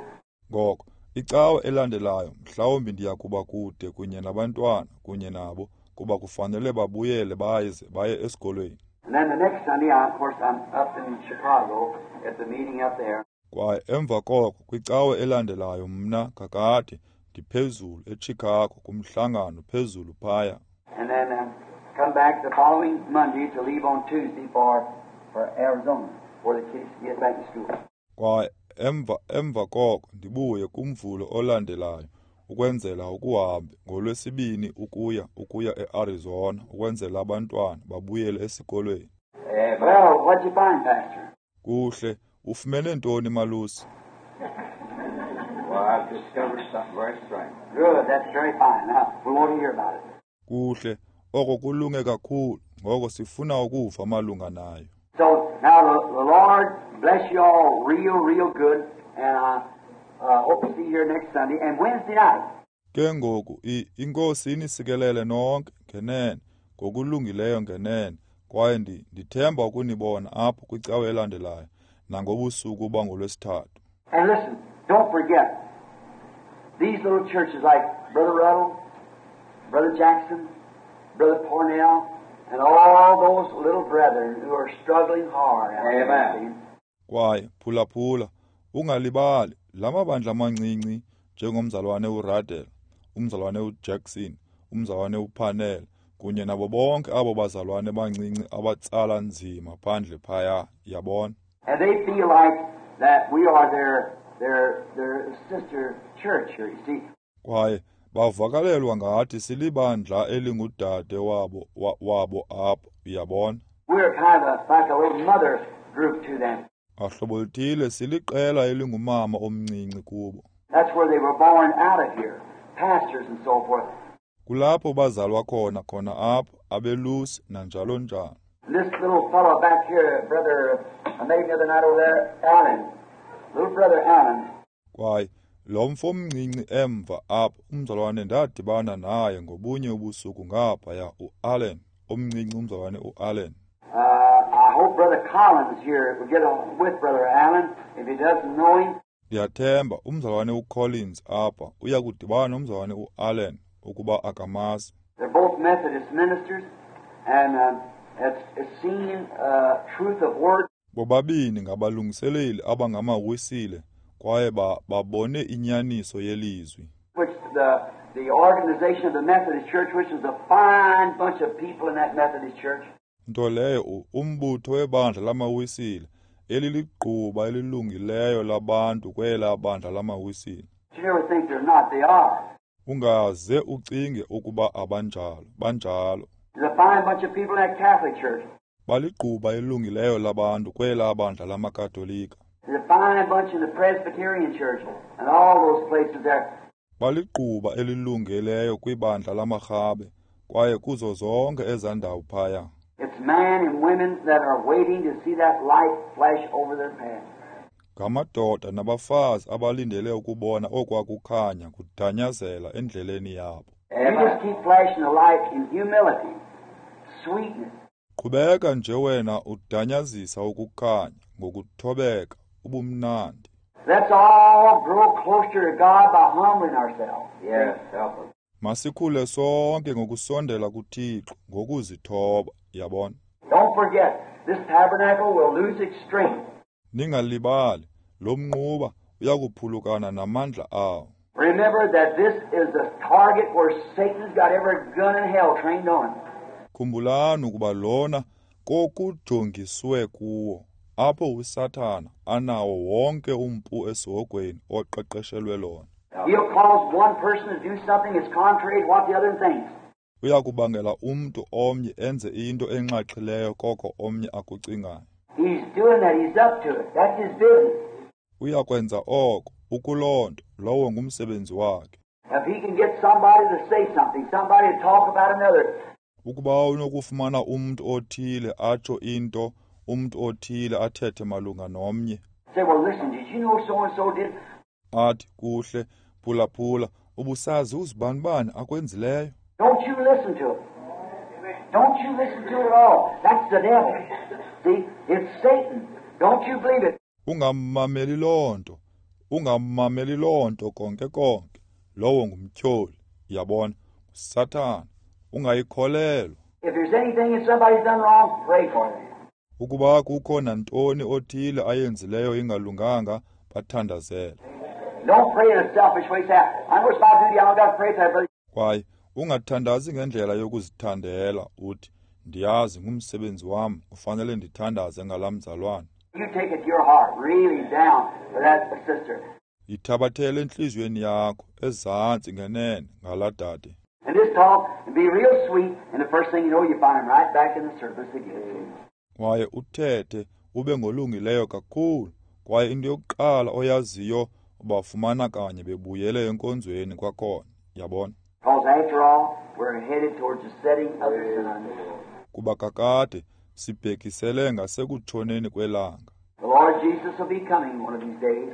Ngoko icawa elandelayo mhlawumbi ndiyakuba kude kunye nabantwana kunye nabo kuba kufanele babuyele baze baye esikolweni. And then the next Sunday, I, of course, I'm up in Chicago at the meeting up there. Kwaye emva koko kwicawa elandelayo mna kakade ndiphezulu eChicago kumhlangano phezulu phaya. And then um, come back the following Monday to leave on Tuesday for for Arizona for the kids to get back to school. Kwaye emva emva koko ndibuye kumvulo olandelayo ukwenzela ukuhambe ngolwesibini ukuya ukuya eArizona ukwenzela abantwana babuyele esikolweni. Well, what'd you find, Pastor? Kuhle, ufumene ntoni malusi? Well, I've discovered something very strange. Good, that's very fine. Now, we want to hear about it. Kuhle, oko kulunge kakhulu, ngoko sifuna ukuva malunga nayo. So now the, the Lord bless you all real, real good, and I uh, hope to see you here next Sunday and Wednesday night. Ke ngoku iNkosi inisikelele nonke ngenene, ngokulungileyo ngenene, kwaye ndithemba ukunibona apho kwicawe elandelayo nangobusuku bangolwesithathu. And listen, don't forget these little churches like Brother Ruddell, Brother Jackson, Brother Parnell, and all those little brethren who are struggling hard. Amen. Kwaye phulaphula, ungalibali la mabandla amancinci njengomzalwane uRuddell, umzalwane uJackson, umzalwane uParnell, kunye nabo bonke abo bazalwane bancinci abatsala nzima phandle phaya, yabona. And they feel like that we are their their their sister church here, you see. Kwaye bavakalelwa ngathi silibandla elingudade wabo wabo apho, uyabona. We're kind of a, like a little mother group to them. Ngahlobo luthile siliqela elingumama omncinci kubo. That's where they were born out of here, pastors and so forth. Kulapho bazalwa khona khona apho abelusi nanjalo njalo. This little fellow back here, brother, I met him the other night over there, Allen. Little brother Allen. Kwaye lo mfo omncinci emva apho, umzalwane ndadibana naye ngobunye ubusuku ngaphaya, uAllen, omncinci umzalwane uAllen. Uh, I hope Brother Collins here will get on with Brother Allen if he doesn't know him. Ndiyathemba umzalwane uCollins apha uya kudibana nomzalwane uAllen ukuba akamazi. They're both Methodist ministers, and uh, it's, it's seen uh, truth of word. Bobabini ngabalungiseleli abangamawisile kwaye babone inyaniso yelizwi. Which the the organization of the Methodist Church, which is a fine bunch of people in that Methodist Church. Nto leyo umbutho webandla lamawisile eliligquba elilungileyo labantu kwela bandla lamawisile. You never think they're not, they are. Ungaze ucinge ukuba abanjalo, banjalo. There's a fine bunch of people in that Catholic Church. Baligquba elilungileyo labantu kwela bandla lamaKatolika. There's a fine bunch in the Presbyterian Church and all those places there. Baligquba elilungeleyo kwibandla lamaRhabe kwaye kuzo zonke ezandawo phaya. It's men and women that are waiting to see that light flash over their path. Ngamadoda nabafazi abalindele ukubona okwakukhanya kudanyazela endleleni yabo. You just keep flashing the light in humility, sweetness. Qhubeka nje wena udanyazisa ukukhanya ngokuthobeka, ubumnandi. Let's all grow closer to God by humbling ourselves. Yes, help us. Masikhule sonke ngokusondela kuThixo ngokuzithoba, yabona. Don't forget, this tabernacle will lose its strength. Ningalibali, lo mnquba uyakuphulukana namandla awo. Remember that this is the target where Satan's got every gun in hell trained on. Khumbulani ukuba lona kokujongiswe kuwo apho uSathana anawo wonke umpu esihogweni oqeqeshelwe lona. He'll cause one person to do something that's contrary to what the other thinks. Uyakubangela umntu omnye enze into enxaxhileyo koko omnye akucingayo. He's doing that, he's up to it. That's his business. Uyakwenza oko, ukuloo nto, lowo ngumsebenzi wakhe. If he can get somebody to say something, somebody to talk about another. Ukuba unokufumana umntu othile atsho into, umntu othile athethe malunga nomnye. Say, well, listen, did you know so and so did? Athi kuhle, phulaphula, ubusazi uzibanibani akwenzileyo. Don't you listen to it. Don't you listen to it at all. That's the devil. See, it's Satan. Don't you believe it. Ungammameli loo nto. Ungammameli loo nto konke konke. Lowo ngumtyholi. Yabona, uSathana. Ungayikholelwa. If there's anything that somebody's done wrong, pray for them. Ukuba kukho nantoni othile ayenzileyo ingalunganga, bathandazele. Don't pray in a selfish way. Say, I know it's my duty, I don't got to pray for that brother. Kwaye ungathandazi ngendlela yokuzithandela uthi ndiyazi ngumsebenzi wam, ufanele ndithandaze ngalaa mzalwane. You take it to your heart, really down for that sister. Yithabathele entliziyweni yakho ezantsi ngenene ngalaa dade. And just talk and be real sweet, and the first thing you know, you find him right back in the service again. Kwaye uthethe ube ngolungileyo kakhulu, kwaye into yokuqala oyaziyo ubafumana kanye bebuyele enkonzweni kwakhona, yabona. Because after all, we're headed towards the setting of the sun. Kuba kakade sibhekisele ngasekutshoneni kwelanga. The Lord Jesus will be coming one of these days.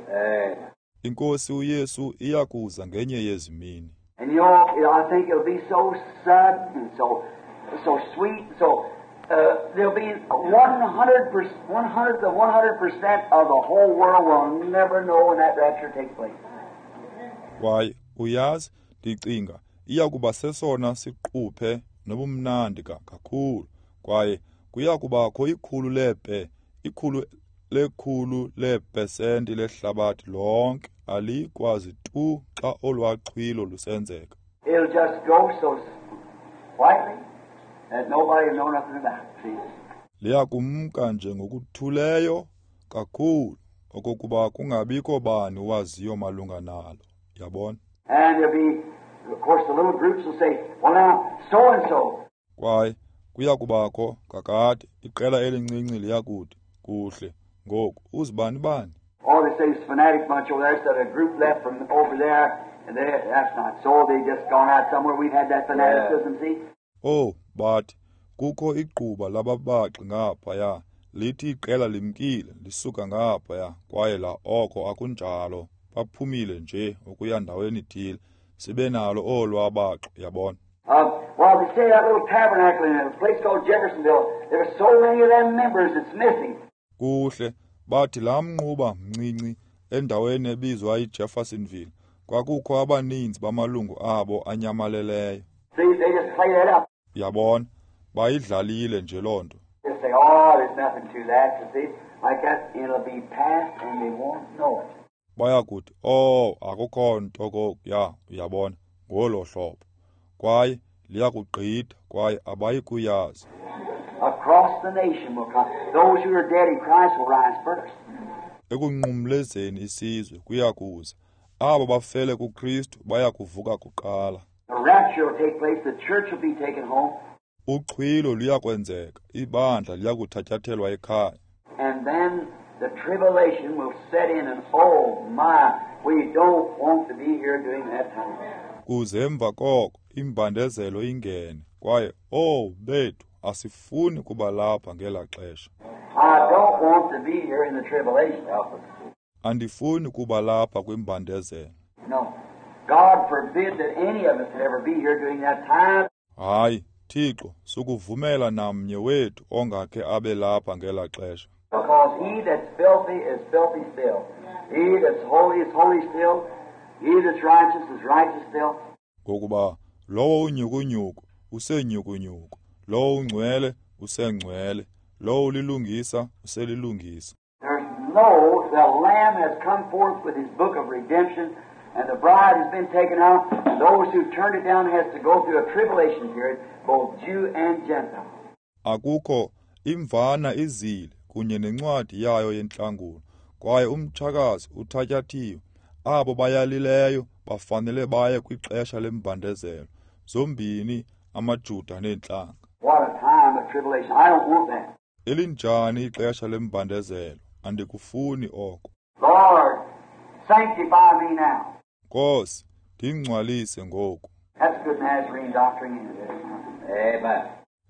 INkosi uYesu iyakuza ngenye yezi mini. And you know, I think it'll be so sudden and so so sweet. So uh, there'll be one hundred percent, one hundredth of one hundred percent of the whole world will never know when that rapture takes place. Kwaye uyazi, ndicinga iyakuba sesona siquphe nobumnandi kakhulu. Kwaye kuyakubakho ikhulu lepe, ikhulu lekhulu leepesenti lehlabathi lonke alikwazi tu xa olwaqhwilo lusenzeka. It'll just go so quietly that nobody will know nothing about it. See? Liyakumka nje ngokuthuleyo kakhulu okokuba kungabikho bani waziyo malunga nalo. Yabona? And there'll be, of course, the little groups will say, well now, so and so. Kwaye kuyakubakho kakade iqela elincinci liyakuthi kuhle ngoku uzibani bani. Oh, they say this fanatic bunch over there, so a group left from over there, and they, that's not so. They just gone out somewhere. We've had that fanaticism, see? Oh, but kukho igquba lababaxi ngaphaya, lithi iqela limkile, lisuka ngaphaya, kwaye la oko akunjalo. Baphumile nje ukuya ndaweni ithile. Sibe nalo olwabaxi, yabona. Um, well, they say that little tabernacle in a place called Jeffersonville, there were so many of them members that's missing. Kuhle, bathi laa mnquba mncinci endaweni ebizwa iJeffersonville kwakukho abaninzi bamalungu abo anyamaleleyo. See, they just play that up. Yabona, bayidlalile nje loo nto. They say, oh, there's nothing to that, you see. Like that, it'll be past and they won't know it. Bayakuthi, oh, akukho nto kokuya, uyabona, ngolo hlobo. Kwaye liyakugqitha, kwaye abayi kuyazi. Across the nation will come. Those who are dead in Christ will rise first. Ekunqumlezeni isizwe kuyakuza. Abo bafele kuKristu bayakuvuka kuqala. The rapture will take place, the church will be taken home. Uxhwilo luyakwenzeka, ibandla liyakuthatyathelwa ekhaya. And then the tribulation will set in, and oh my, we don't want to be here during that time. Kuze emva koko imbandezelo ingene, kwaye oh bethu asifuni kuba lapha ngelaa xesha. I don't want to be here in the tribulation. Andifuni kuba lapha kwimbandezelo. No. God forbid that any of us would ever be here during that time. Hayi, Thixo, sukuvumela namnye wethu ongakhe abe lapha ngelaa xesha. Because he that's filthy is filthy still. He that's holy is holy still. He that's righteous is righteous still. Ngokuba lowo unyukunyuku usenyukunyuku, lowo ungcwele usengcwele, lowo ulilungisa uselilungisa. There's no, the Lamb has come forth with his book of redemption, and the bride has been taken out, and those who turned it down has to go through a tribulation period, both Jew and Gentile. Akukho imvana izile kunye nencwadi yayo yentlangulo, kwaye umtshakazi uthatyathiwe. Abo bayalileyo bafanele baye kwixesha lembandezelo, zombini amaJuda neentlanga. What a time of tribulation. I don't want that. Elinjani ixesha lembandezelo, andikufuni oko. Lord, sanctify me now. Nkosi, ndingcwalise ngoku. That's good Nazarene doctrine. Amen.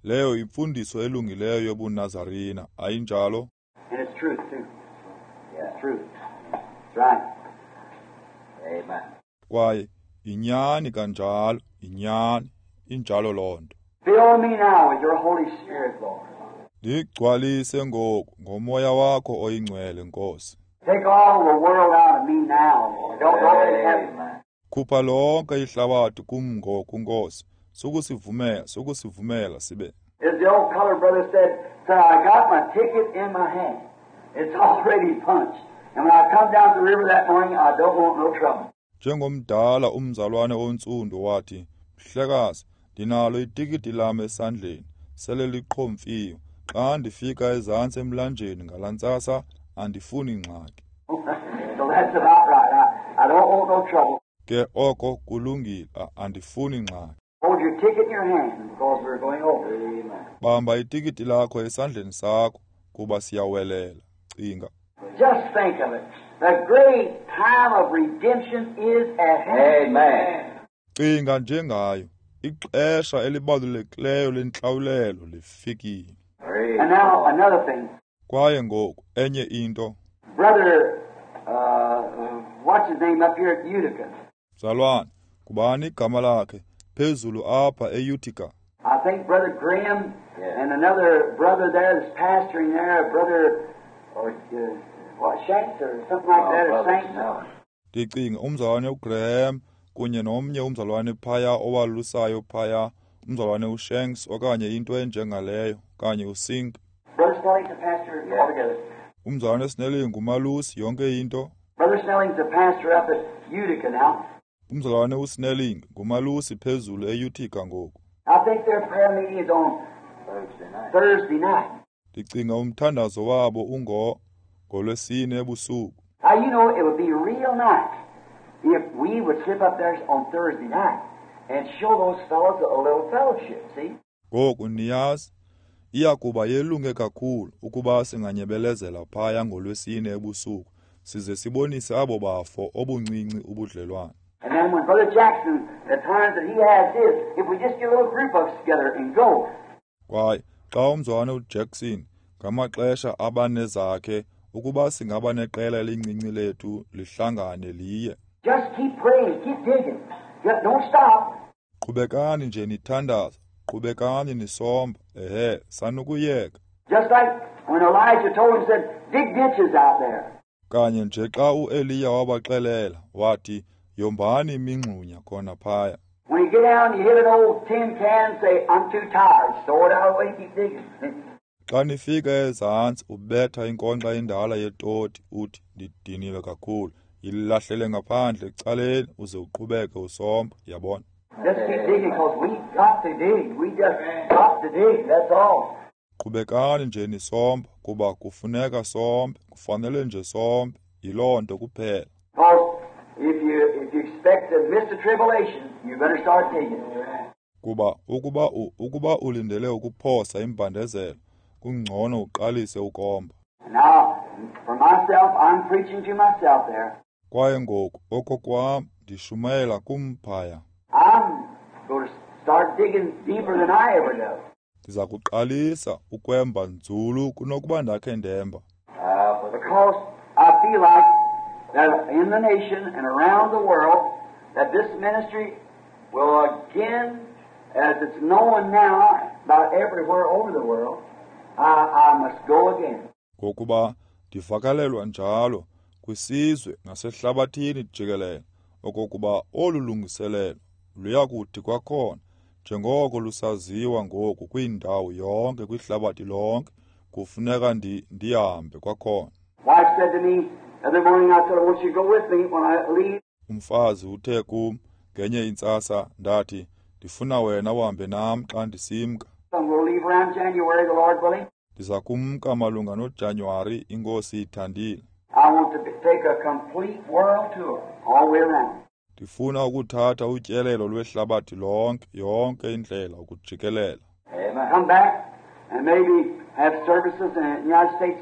Leyo imfundiso elungileyo yobuNazarena, ayinjalo? And it's truth too. Yeah, it's truth. That's right. Amen. Kwaye inyani kanjalo, inyani, injalo loo nto. Fill me now with your Holy Spirit, Lord. Ndigcwalise ngoku ngomoya wakho oyingcwele, Nkosi. Take all the world out of me now, Lord. Don't let it happen. Khupha lonke ihlabathi kum ngoku, Nkosi. Sukusivumela, sukusivumela sibe. As the old colored brother said, sir, I got my ticket in my hand. It's already punched. And when I come down the river that morning, I don't want no trouble. Njengomdala umzalwane ontsundu wathi, mhlekazi, ndinalo itikiti lam esandleni, sele liqhomfiwe. Xa ndifika ezantsi emlanjeni ngalaa ntsasa, andifuni ngxaki. So that's about right. I, I don't want no trouble. Ke oko kulungile, andifuni ngxaki. Hold your ticket in your hand because we're going over. Amen. Bamba itikiti lakho esandleni sakho kuba siyawelela. Cinga. Just think of it. The great time of redemption is at hand. Amen. Cinga njengayo, ixesha elibalulekileyo lentlawulelo lifikile. And now another thing. Kwaye ngoku enye into. Brother, uh, what's his name up here at Utica? Mzalwane, ngubani igama lakhe phezulu apha eUtica? I think Brother Graham Yeah. and another brother there that's pastoring there, Brother or uh, what, Shanks or something like Oh, that, or Brother Saints. Snelling. Ndicinga umzalwane uGraham kunye nomnye umzalwane phaya owalusayo phaya, umzalwane uShanks okanye into enjengaleyo, okanye uSink. Brother Snelling's a pastor Yeah. altogether. Umzalwane Snelling ngumalusi yonke into. Brother Snelling's a pastor up at Utica now. Umzalwane uSnelling ngumalusi phezulu eUtica ngoku. I think their prayer meeting is on Thursday night. Thursday night. Ndicinga umthandazo wabo ungo ngolwesine ebusuku. Now, you know, it would be real nice if we would slip up there on Thursday night and show those fellows a little fellowship, see? Ngoku niyazi, iya kuba yelunge kakhulu ukuba singanyebelezela phaya ngolwesine ebusuku size sibonise abo bafo obuncinci ubudlelwane. And then when Brother Jackson, the times that he has his, if we just get a little group of us together and go, Kwaye xa umzalwane uJackson ngamaxesha abanezakhe ukuba singaba neqela elincinci lethu lihlangane liye. just keep praying, keep digging. Just don't stop. Qhubekani nje nithandaza, qhubekani nisomba, ehe, sanukuyeka. Just like when Elijah told him, said, dig ditches out there. Kanye nje xa uEliya wabaxelela wathi yombani imingxunya khona phaya. When you get down, you hit an old tin can, say, I'm too tired. Throw it out of the way, keep digging. Xa nifika ezantsi ubetha inkonxa endala yetoti uthi ndidiniwe kakhulu, yilahlele ngaphandle ecaleni uze uqhubeke usomba, yabona. Just keep digging because we got to dig. We just got to dig. That's all. Qhubekani nje nisomba kuba kufuneka sombe, kufanele nje sombe, yiloo nto kuphela. Because if you if you expect to miss the tribulation, you better start digging. Kuba ukuba u, ukuba ulindele ukuphosa imbandezelo, kungcono uqalise ukomba. Now, for myself, I'm preaching to myself there. Kwaye ngoku okokwam ndishumayela kum phaya. I'm going to start digging deeper than I ever do. Ndiza kuqalisa ukwemba nzulu kunokuba ndakhe ndemba. Uh, but Because I feel like that in the nation and around the world, that this ministry will again, as it's known now about everywhere over the world, I, I must go again. Ngokuba ndivakalelwa njalo kwisizwe nasehlabathini jikelele okokuba olu lungiselelo luyakuthi kwakhona njengoko lusaziwa ngoku kwindawo yonke kwihlabathi lonke kufuneka ndi, ndihambe kwakhona. Wife said to me the other morning, I said, I want you to go with me when I leave. Umfazi uthe kum ngenye intsasa ndathi ndifuna wena uhambe nam xa ndisimka. I'm going to leave around January, the Lord willing. Ndiza kumka malunga noJanuwari inkosi ithandile. I want to be, take a complete world tour all the way around. Ndifuna ukuthatha utyelelo lwehlabathi lonke yonke indlela ukujikelela. Amen. Come back and maybe have services in the United States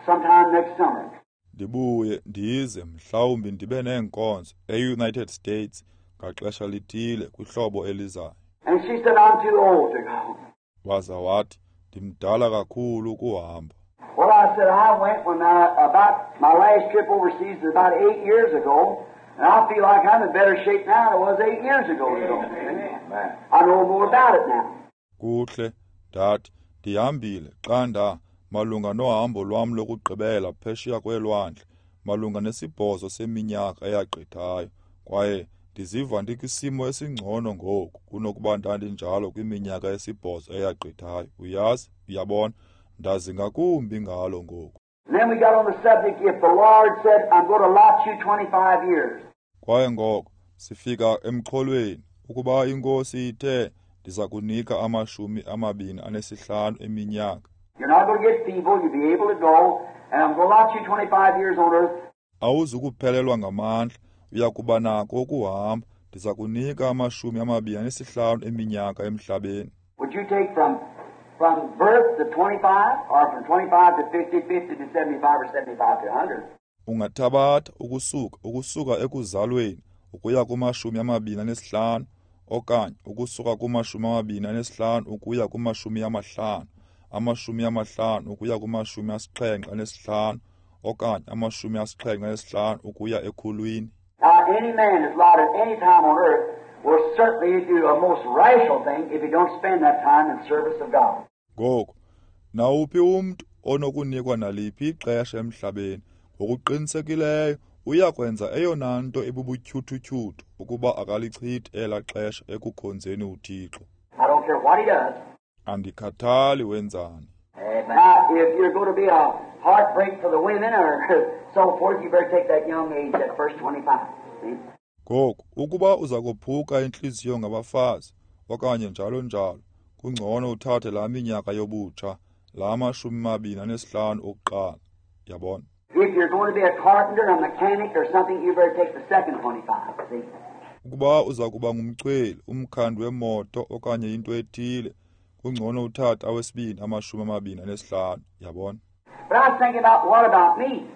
sometime next summer. Ndibuye ndize mhlawumbi ndibe neenkonzo eUnited States ngaxesha lithile kwihlobo elizayo. And she said, I'm too old to go. Waza wathi ndimdala kakhulu ukuhamba. Well, I said, I went when I, about my last trip overseas was about eight years ago, and I feel like I'm in better shape now than I was eight years ago. To go. Amen. I know more about it now. Kuhle, ndathi ndihambile xa nda malunga nohambo lwam lokugqibela phesheya kwelwandle malunga nesibhozo seminyaka eyagqithayo kwaye ndiziva ndikwisimo esingcono ngoku kunokuba ndandinjalo kwiminyaka esibhozo eyagqithayo. Uyazi, uyabona, ndazi ngakumbi ngalo ngoku. And then we got on the subject, if the Lord said, I'm going to allot you twenty-five years. Kwaye ngoko sifika emxholweni ukuba inkosi ithe ndiza kunika amashumi amabini anesihlanu eminyaka. You're not going to get feeble, you'll be able to go, and I'm going to allot you twenty-five years on earth. Awuzukuphelelwa ngamandla, uya kuba nako ukuhamba. Ndiza kunika amashumi amabini anesihlanu eminyaka emhlabeni. Would you take from from birth to twenty-five, or from twenty-five to fifty, fifty to seventy-five, or seventy-five to a hundred? Ungathabatha ukusuka ukusuka ekuzalweni ukuya kumashumi amabini anesihlanu, okanye ukusuka kumashumi amabini anesihlanu ukuya kumashumi amahlanu, amashumi amahlanu ukuya kumashumi asixhenxe anesihlanu, okanye amashumi asixhenxe anesihlanu ukuya ekhulwini. Now, any man that's allowed at any time on earth will certainly do a most rational thing if he don't spend that time in service of God. Ngoku, nawuphi umntu onokunikwa naliphi ixesha emhlabeni, ngokuqinisekileyo uyakwenza eyona nto ebubutyhuthutyhuthu ukuba akalichithi elaa xesha ekukhonzeni uThixo. I don't care what he does. Andikhathali wenzani. Now, if you're going to be a heartbreak for the women or so forth, you better take that young age, that first twenty-five. See? Ngoku, ukuba uza kophuka intliziyo ngabafazi okanye njalo njalo, kungcono uthathe laa minyaka yobutsha, laa mashumi mabini anesihlanu okuqala. Yabona? If you're going to be a carpenter, a mechanic or something, you better take the second twenty-five. See? Ukuba uza kuba ngumchweli, umkhandi wemoto okanye into ethile, kungcono uthathe awesibini amashumi amabini anesihlanu. Yabona? But I was thinking about, what about me?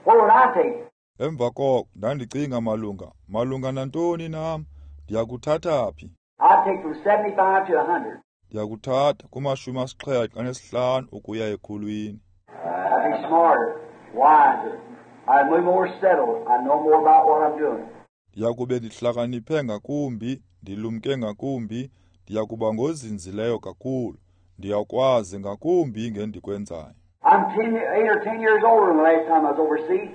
What would I take? Emva koko ndandicinga malunga malunga nantoni nam, ndiyakuthatha phi? I'd take from seventy-five to a hundred. Ndiyakuthatha kumashumi asixhenxe anesihlanu ukuya ekhulwini. I'd be smarter, wiser. I'd be more settled. I know more about what I'm doing. Ndiyakube ndihlakaniphe ngakumbi, ndilumke ngakumbi, ndiyakuba ngozinzileyo kakhulu, ndiyakwazi ngakumbi ngendikwenzayo. I'm ten, eight or ten years older than the last time I was overseas.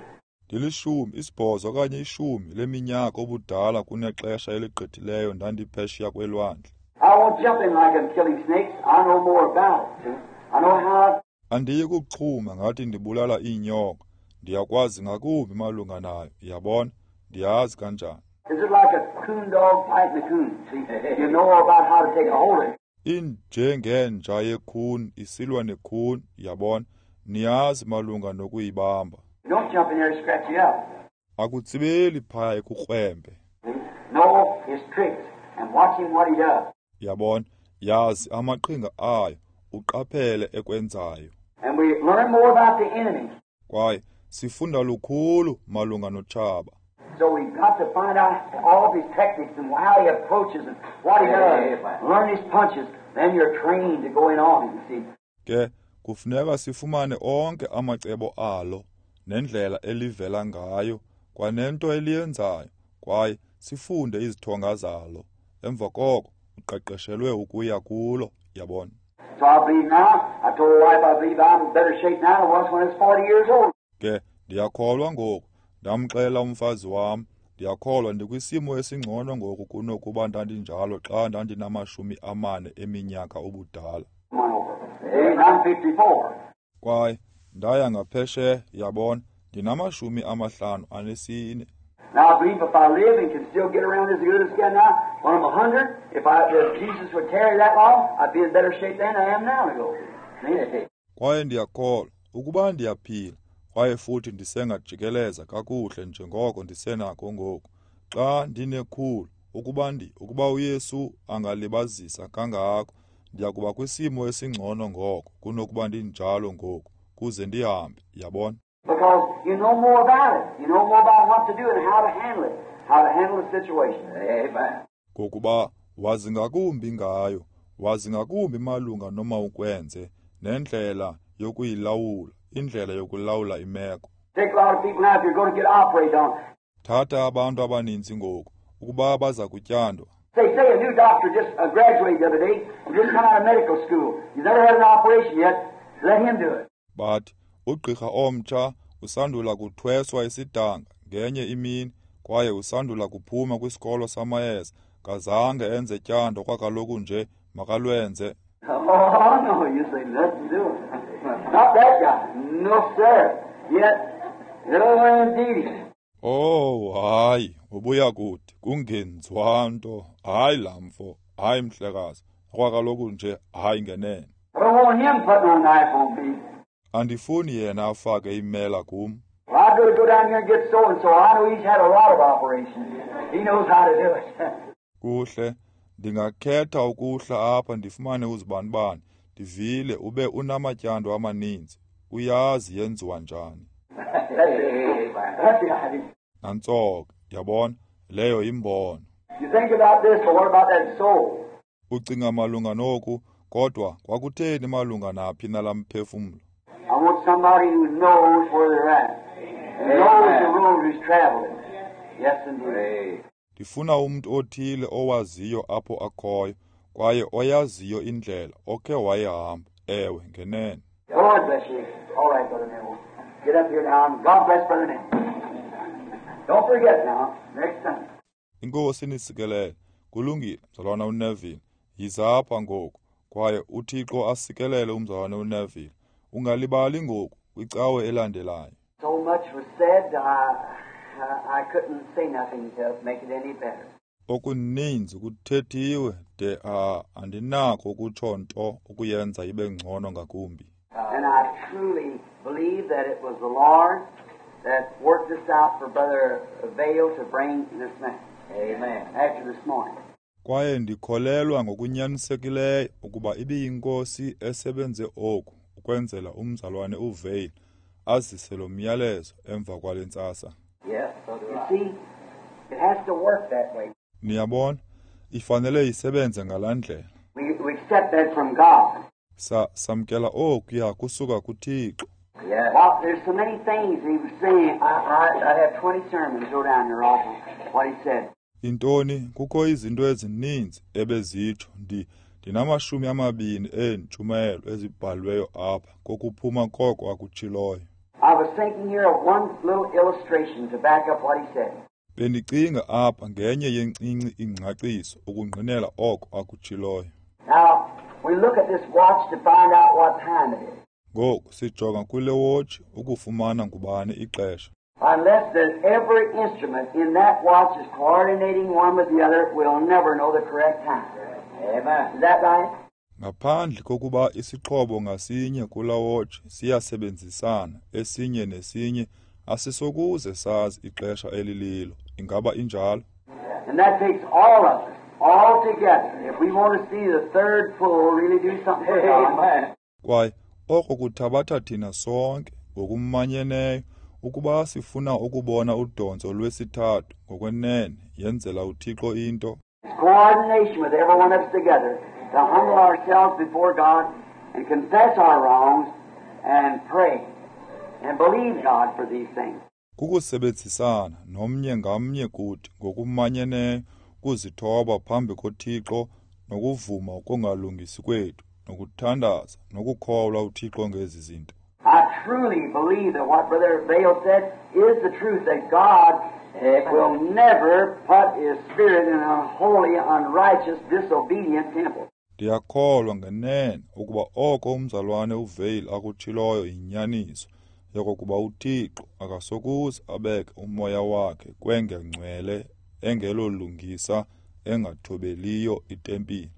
Ndilishumi, isibhozo okanye ishumi leminyaka obudala kunexesha eligqithileyo ndandiphesheya kwelwandle. I won't jump in like I'm killing snakes. I know more about it. I know how. Andiyi kuxhuma ngathi ndibulala iinyoka. Ndiyakwazi ngakumbi malunga nayo. Yabona? Ndiyazi kanjani. Is it like a coon dog fighting a coon? See, you know about how to take a hold of it. Injengenja yekhuni isilwa nekhuni, yabona? Niyazi malunga nokuyibamba. You don't jump in there and scratch you up. Akutsibeli phaya ekukrwembe. Know his tricks and watch him what he does. Yabona? Yazi amaqhinga ayo, uqaphele ekwenzayo. And we learn more about the enemy. Kwaye sifunda lukhulu malunga notshaba. So we've got to find out all of his tactics and how he approaches and what he does. Learn his punches. Then you're trained to go in on him, you see. Ke kufuneka sifumane onke amacebo alo nendlela elivela ngayo kwanento eliyenzayo, kwaye sifunde izithonga zalo. Emva koko uqeqeshelwe ukuya kulo, yabona. So I believe now, I told my wife I believe I'm in better shape now than I was when I was forty years old. Ke ndiyakholwa ngoku, ndamxela umfazi wam, ndiyakholwa ndikwisimo esingcono ngoku kunokuba ndandinjalo xa ndandinamashumi amane eminyaka ubudala. I'm fifty-four. Kwaye ndaya ngaphesheya, yabona, ndinamashumi amahlanu anesine. Now I believe if I live and can still get around as good as I can now, when I'm a hundred, if I, if Jesus would tarry that long, I'd be in better shape than I am now to go. See? Kwaye ndiyakholwa ukuba ndiyaphila, kwaye futhi ndisengajikeleza kakuhle njengoko ndisenako ngoku. Xa ndinekhulu, ukuba ndi, ukuba uYesu angalibazisa kangako, ndiyakuba kwisimo esingcono ngoko kunokuba ndinjalo ngoku, kuze ndihambe, yabona. Because you know more about it. You know more about what to do and how to handle it, how to handle the situation. Amen. Ngokuba wazi ngakumbi ngayo, wazi ngakumbi malunga noma ukwenze nendlela yokuyilawula, indlela yokulawula imeko. Take a lot of people now if you're going to get operated on. Thatha abantu abaninzi ngoku ukuba baza kutyandwa. They say a new doctor just uh, graduated the other day and just come out of medical school. He's never had an operation yet. Let him do it. But ugqirha omtsha usandula kuthweswa isidanga ngenye imini, kwaye usandula kuphuma kwisikolo samayeza, kazange enze tyando kwakaloku nje makalwenze. Oh no, you say nothing to it. Not that guy. No sir. Yet, no indeed. Oh hayi, ubuya kuthi kungenziwa nto. Hayi lamfo, hayi mhlekazi, kwakaloku nje hayi ngenene. I don't want him putting no knife on me. Andifuni yena afake imela kum. Well, I'd better go down here and get so and so. I know he's had a lot of operations. He knows how to do it. Kuhle, ndingakhetha ukuhla apha ndifumane uzibanibani. Ndivile ube unamatyando amaninzi. Uyazi yenziwa njani. That's it. That's the idea. Nantso ke, yabona, Leyo yimbono. You think about this, but what about that soul? Ucinga malunga noku, kodwa kwakutheni malunga naphi nalaa mphefumlo? I want somebody who knows where they're at. Who knows the road who's traveling. Yes, indeed. Ndifuna umntu othile owaziyo apho akhoyo, kwaye oyaziyo indlela okhe wayihamba. Ewe, ngenene. The Lord bless you. All right, Brother Neville. Get up here now, and God bless Brother Neville. Don't forget now, next Sunday. Inkosi inisikelele. Kulungile, mzalwana uNeville. Yiza apha ngoku, kwaye uThixo asikelele umzalwana uNeville. Ungalibali ngoku kwicawe elandelayo. So much was said, I, I, I couldn't say nothing to make it any better. Okuninzi kuthethiwe de a andinako ukutsho nto ukuyenza ibe ngcono ngakumbi. And I truly believe that it was the Lord that worked this out for Brother Vayle to bring this message. Amen. After this morning. Kwaye ndikholelwa ngokunyanisekileyo ukuba ibiyinkosi esebenze oku ukwenzela umzalwane uVayle azise lo myalezo emva kwale ntsasa. Yes, so do You I. see, it has to work that way. Niyabona, ifanele isebenze ngalaa ndlela. We, we accept that from God. Sa samkela okuya kusuka kuThixo. Yes. Well, there's so many things he was saying. I, I, I'd have twenty sermons go down here off of what he said. Intoni, kukho izinto ezininzi ebezitsho. Ndi ndinamashumi amabini eentshumayelo ezibhalweyo apha kokuphuma koko akutshiloyo. I was thinking here of one little illustration to back up what he said. Bendicinga apha ngenye yencinci ingcaciso ukungqinela oko akutshiloyo. Now, we look at this watch to find out what time it is. Ngoku sijonga kule wotshi ukufumana ngubani ixesha. Unless that every instrument in that watch is coordinating one with the other, we'll never know the correct time. Amen. Is that right? Ngaphandle kokuba isixhobo ngasinye kula wotshi siyasebenzisana esinye nesinye, asisokuze sazi ixesha elililo. Ingaba injalo? And that takes all of us, all together. If we want to see the third pull really do something for God. Amen. Kwaye oko kuthabatha thina sonke ngokumanyeneyo ukuba sifuna ukubona udontso lwesithathu ngokwenene yenzela uThixo into. It's coordination with every one of us together to humble ourselves before God and confess our wrongs and pray and believe God for these things. Kukusebenzisana nomnye ngamnye kuthi ngokumanyeneyo kuzithoba phambi koThixo nokuvuma ukungalungisi kwethu nokuthandaza nokukholwa uThixo ngezi zinto. I truly believe that what Brother Vayle said is the truth, that God will never put His Spirit in an unholy, unrighteous, disobedient temple. Ndiyakholwa ngenene ukuba oko umzalwane uVayle akutshiloyo yinyaniso, yokokuba uThixo akasokuze abeke umoya wakhe kwengengcwele engelolungisa engathobeliyo itempile.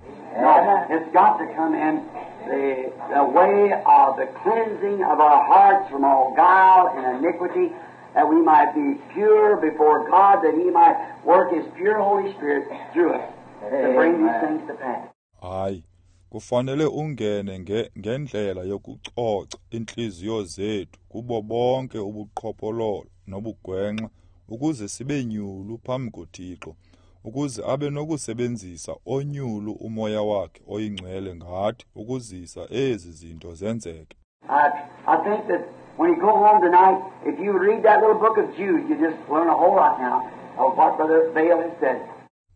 No, it's got to come in the, the way of the cleansing of our hearts from all guile and iniquity, that we might be pure before God, that He might work His pure Holy Spirit through us to bring these things to pass. Hayi, kufanele ungene nge, ngendlela yokucoca intliziyo zethu kubo bonke ubuqhophololo nobugwenxa ukuze sibe nyulu phambi koThixo, ukuze abe nokusebenzisa onyulu umoya wakhe oyingcwele ngathi ukuzisa ezi zinto zenzeke. I, I think that when you go home tonight, if you read that little book of Jude, you just learn a whole lot now of what Brother Vayle has said.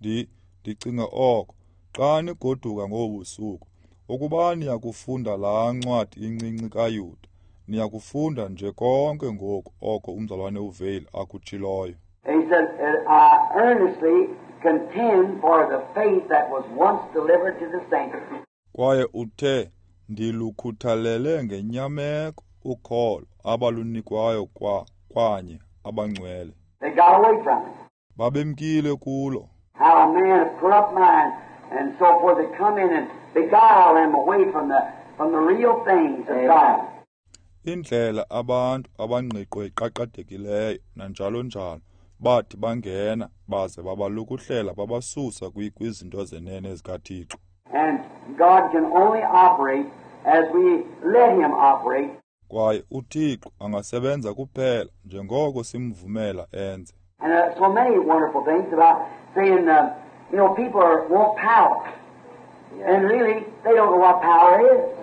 Ndi ndicinga oko xa nigoduka ngobusuku, ukuba niyakufunda laa ncwadi incinci kaYuda, niyakufunda nje konke ngoku oko umzalwane uVayle akutshiloyo. And he said, I earnestly contend for the faith that was once delivered to the saints. Kwaye uthe, ndilukhuthalele ngenyameko ukholo abalunikwayo kwa kwanye abangcwele. They got away from it. Babemkile kulo. How a man of corrupt mind and so forth that come in and beguile them away from the from the real things of God. Indlela abantu abangqiqo iqaqadekileyo nanjalo njalo bathi bangena baze babalukuhlela babasusa kwizinto zenene zikaThixo. And God can only operate as we let Him operate. Kwaye uThixo angasebenza kuphela njengoko simvumela enze. And uh, so many wonderful things about saying, uh, you know, people are, want power. And really, they don't know what power is.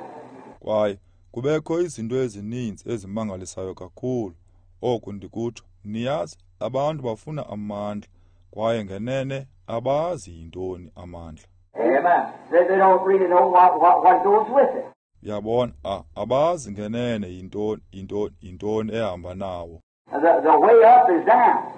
Kwaye kubekho izinto ezininzi ezimangalisayo kakhulu. Oku ndikutsho, niyazi, abantu bafuna amandla, kwaye ngenene abazi yintoni amandla. Amen. They, they don't really know what, what, what goes with it. Yabona, a abazi ngenene yintoni yintoni yintoni ehamba nawo. The, the way up is down.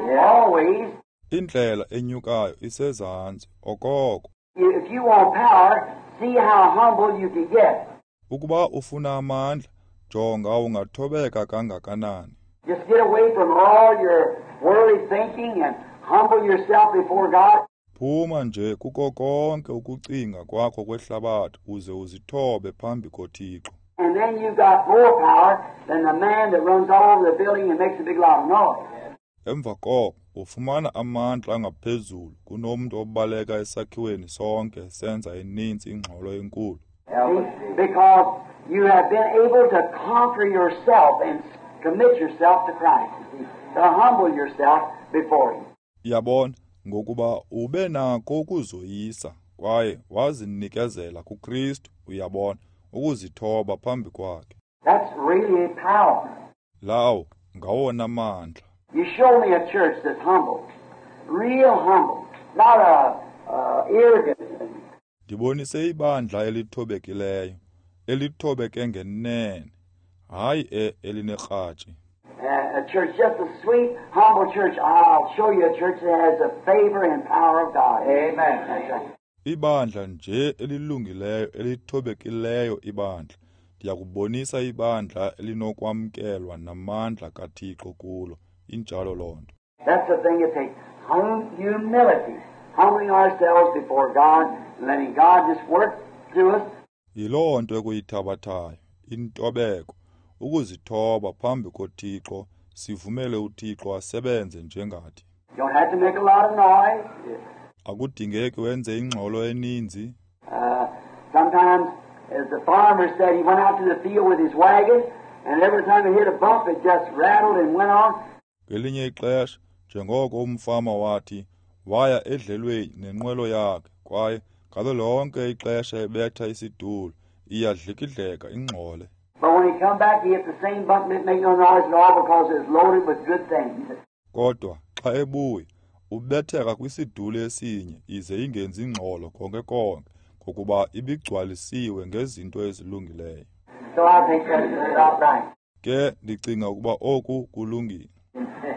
Yeah. Always. Indlela enyukayo isezantsi okoko. If you want power, see how humble you can get. Ukuba ufuna amandla, jonga ungathobeka kangakanani. Just get away from all your worldly thinking and humble yourself before God. Phuma nje kuko konke ukucinga kwakho kwehlabathi uze uzithobe phambi koThixo. And then you've got more power than the man that runs all over the building and makes a big lot of noise. Emva koko ufumana amandla angaphezulu kunomntu obaleka esakhiweni sonke senza ininzi ingxolo enkulu. See? Because you have been able to conquer yourself and commit yourself to Christ. You see? To humble yourself before Him. Yabona, ngokuba ube nako ukuzoyisa kwaye wazinikezela kuKristu, uyabona, ukuzithoba phambi kwakhe. That's really power. Lawo ngawona mandla. You show me a church that's humble, real humble, not a uh, arrogant. Ndibonise ibandla elithobekileyo, elithobeke ngenene, hayi e elinerhatshi. Uh, a church, just a sweet, humble church. I'll show you a church that has the favor and power of God. Amen. That's right. Ibandla nje elilungileyo, elithobekileyo ibandla. Ndiyakubonisa ibandla elinokwamkelwa namandla kaThixo kulo. Injalo loo nto. That's the thing it takes. Hum- humility. Humbling ourselves before God, letting God just work through us. Yiloo nto ekuyithabathayo, intobeko, ukuzithoba phambi koThixo, sivumele uThixo asebenze njengathi. You don't have to make a lot of noise. Akudingeki wenze ingxolo eninzi. Uh, sometimes, as the farmer said, he went out to the field with his wagon, and every time he hit a bump, it just rattled and went on. Ngelinye ixesha, njengoko umfama wathi, waya edlelweni nenqwelo yakhe, kwaye ngalo lonke ixesha ebetha isidulo, iyadlikidleka ingxole. But when he come back, he hit the same bump and didn't make no noise at all because it was loaded with good things. Kodwa xa ebuya, ubetheka kwisidulo esinye ize ingenzi ingxolo konke konke, ngokuba ibigcwalisiwe ngezinto ezilungileyo. So I think that's about right. Ke ndicinga ukuba oku kulungile.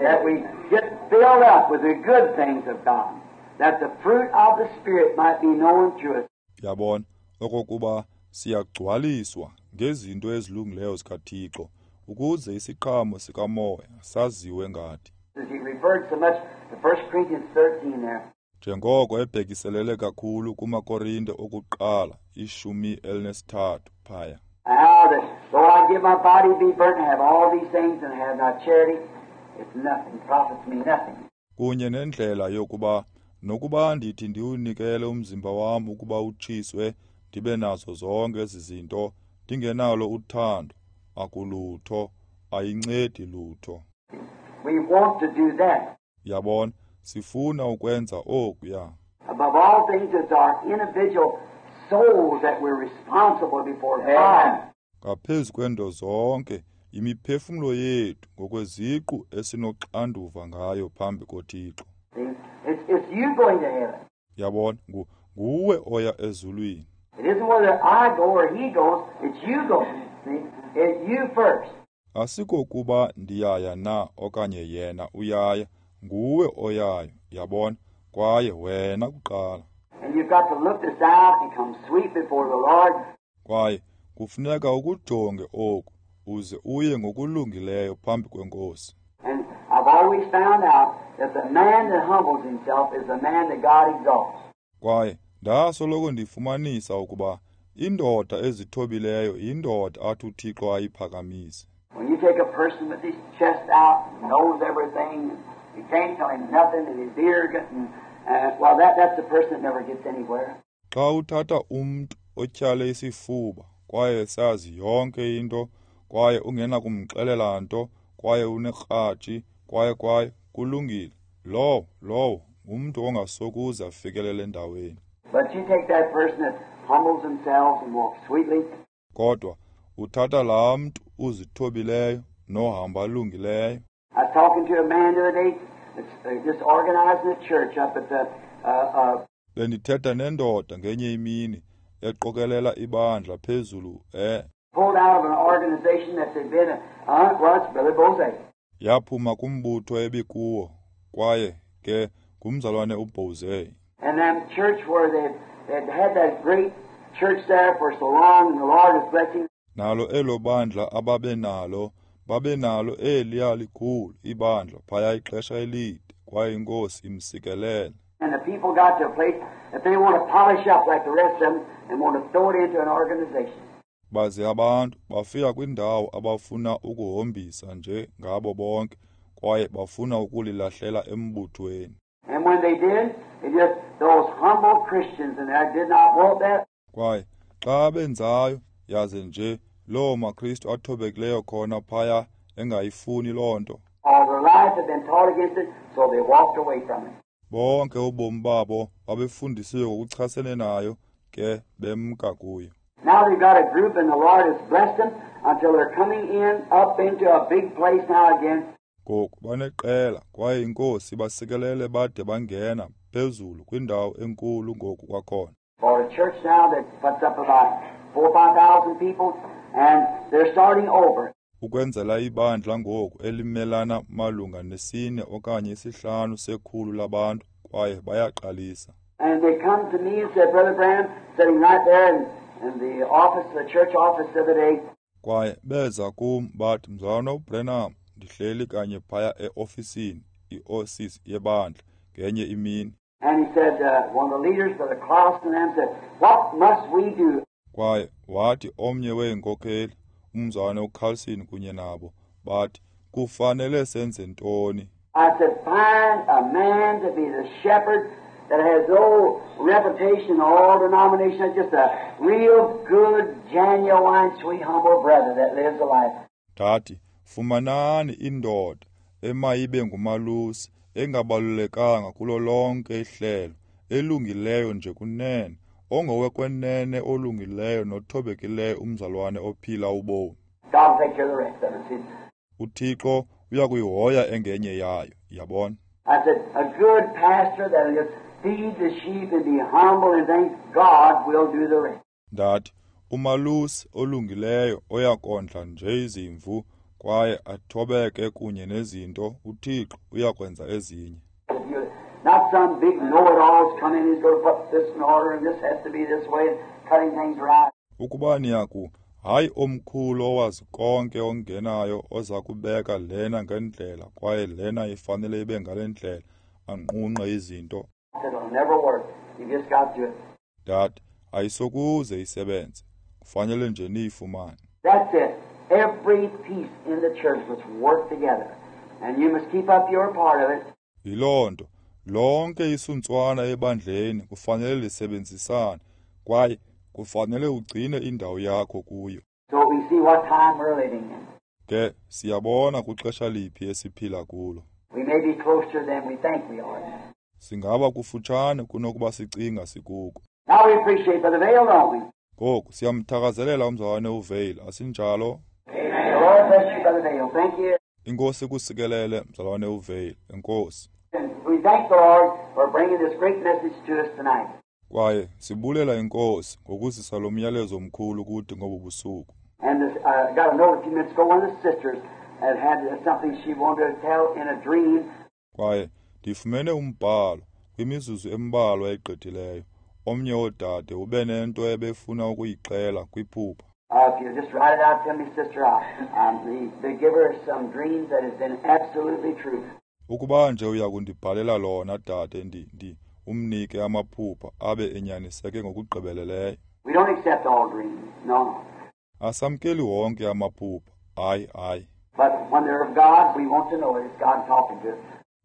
That we get filled up with the good things of God, that the fruit of the Spirit might be known through us. Yabona, okokuba siyagcwaliswa ngezinto ezilungileyo zikaThixo, ukuze isiqhamo sikaMoya saziwe ngathi. As he referred so much to First Corinthians thirteen there. Njengoko ebhekiselele kakhulu kumaKorinte okuqala ishumi elinesithathu phaya. How that though I give my body to be burnt and have all these things and have not charity, it's nothing, profits me nothing. Kunye nendlela yokuba nokuba ndithi ndiwunikele umzimba wam ukuba utshiswe, ndibe nazo zonke ezi zinto, ndingenalo uthando, akulutho, ayincedi lutho. We want to do that. Yabona, sifuna ukwenza okuya. Above all things, it's our individual souls that we're responsible before God. Ngaphezu kwento zonke, imiphefumlo yethu ngokweziqu esinoxanduva ngayo phambi koThixo. See? It's, it's you going to heaven. Yabona, ngu, nguwe oya ezulwini. It isn't whether I go or he goes, it's you going. See? It's you first. Asikokuba ndiyaya na okanye yena uyaya, nguwe oyayo, yabona, kwaye wena kuqala. And you've got to look this out and come sweet before the Lord. Kwaye kufuneka ukujonge oku uze uye ngokulungileyo phambi kweNkosi. And I've always found out that the man that humbles himself is the man that God exalts. Kwaye ndasoloko ndifumanisa ukuba indoda ezithobileyo yindoda athi uThixo ayiphakamise. When you take a person with his chest out and knows everything, and you can't tell him nothing, and he's arrogant, and uh, well, that, that's the person that never gets anywhere. Xa uthatha umntu otyhale isifuba kwaye sazi yonke into, kwaye ungenakumxelela nto, kwaye unekratshi, kwaye kwaye Kulungile, lowo lowo ngumntu ongasokuze afikelele endaweni. But you take that person that humbles themselves and walks sweetly. Kodwa uthatha laa mntu uzithobileyo nohamba alungileyo. I was talking to a man the other day that's uh, just organizing a church up at the uh, uh, Bendithetha nendoda ngenye imini eqokelela ibandla phezulu e pulled out of an organization that they'd been uh, well, it's Brother Boze. Yaphuma kumbutho ebikuwo kwaye ke ngumzalwane uBoze. And that church where they they'd had that great church there for so long, and the Lord is blessing. Nalo elo bandla ababenalo babenalo eliya likhulu ibandla phaya ixesha elide kwaye iNkosi imsikelele. And the people got to a place that they want to polish up like the rest of them and want to throw it into an organization. Baze abantu bafika kwindawo abafuna ukuhombisa nje ngabo bonke kwaye bafuna ukulilahlela embuthweni. And when they did, it just those humble Christians and they did not want that. Kwaye xa benzayo yaze nje loo maKristu athobekileyo khona phaya engayifuni loo nto. All their life had been taught against it, so they walked away from it. Bonke ubomi babo babefundisiwe ngokuchasene nayo ke bemka kuyo. Now they've got a group and the Lord has blessed them until they're coming in up into a big place now again. Ngoku baneqela kwaye iNkosi basikelele bade bangena phezulu kwindawo enkulu ngoku kwakhona. For a church now that puts up about four or five thousand people, and they're starting over. Ukwenzela ibandla ngoku elimelana malunga nesine okanye isihlanu sekhulu labantu kwaye bayaqalisa. And they come to me and said, Brother Branham, sitting right there in, in the office, the church office the other day. Kwaye beza kum bathi, Mzalwana uBranham, ndihleli kanye phaya eofisini, iofisi yebandla ngenye imini. And he said, uh, one of the leaders, Brother Carlson, and them said, what must we do? Kwaye wathi omnye weenkokheli, umzalwana uCarlson kunye nabo, bathi, kufanele senze ntoni? I said, find a man to be the shepherd that has no reputation in all denominations, just a real good, genuine, sweet, humble brother that lives a life. Ndathi, fumanani indoda emayibe ngumalusi, engabalulekanga kulo lonke ihlelo, elungileyo nje kunene, ongowekwenene olungileyo nothobekileyo umzalwane ophila ubomi. God will take care of the rest of it. See? UThixo uyakuyihoya engenye yayo, yabona. I said, a good pastor that'll just feed the sheep and be humble and think God will do the rest. Ndathi, umalusi olungileyo oyakondla nje izimvu kwaye athobeke kunye nezinto, uThixo uyakwenza ezinye. Not some big know-it-alls come in, he's going to put this in order and this has to be this way, and cutting things right. Ukuba niyaku, hayi omkhulu owazi konke ongenayo oza kubeka lena ngendlela kwaye lena ifanele ibe ngale ndlela, anqunqe izinto. It'll never work. You just got to. Ndathi, ayisokuze isebenze. Kufanele nje niyifumane. That's it. Every piece in the church must work together, and you must keep up your part of it. Yiloo nto. Lonke isuntswana ebandleni kufanele lisebenzisane kwaye kufanele ugcine indawo yakho kuyo. So we see what time we're living in. Ke siyabona kwixesha liphi esiphila kulo. We may be closer than we think we are. Singaba kufutshane kunokuba sicinga sikuko. Now we appreciate Brother Vayle, don't we? Ngoku siyamthakazelela umzalwane uVayle, asinjalo? Amen. The Lord bless you, Brother Vayle. Thank you. Inkosi kusikelele mzalwane uVayle. Enkosi. And we thank the Lord for bringing this great message to us tonight. Kwaye sibulela iNkosi ngokuzisa lo myalezo omkhulu kuthi ngobu busuku. And this, uh, got a note a few minutes ago, one of the sisters had had something she wanted to tell in a dream. Kwaye ndifumene umbhalo kwimizuzu embalwa egqithileyo. Omnye wodade ube nento ebefuna ukuyixela kwiphupha. Uh, if you just write it out to me, sister, I, um, the, the give her some dreams that has been absolutely true. Ukuba nje uyakundibhalela lona dade, ndi ndi umnike amaphupha abe enyaniseke ngokugqibeleleyo. We don't accept all dreams. No, no. Asamkeli wonke amaphupha. Hayi, hayi. But when they're of God, we want to know it. It's God talking to us.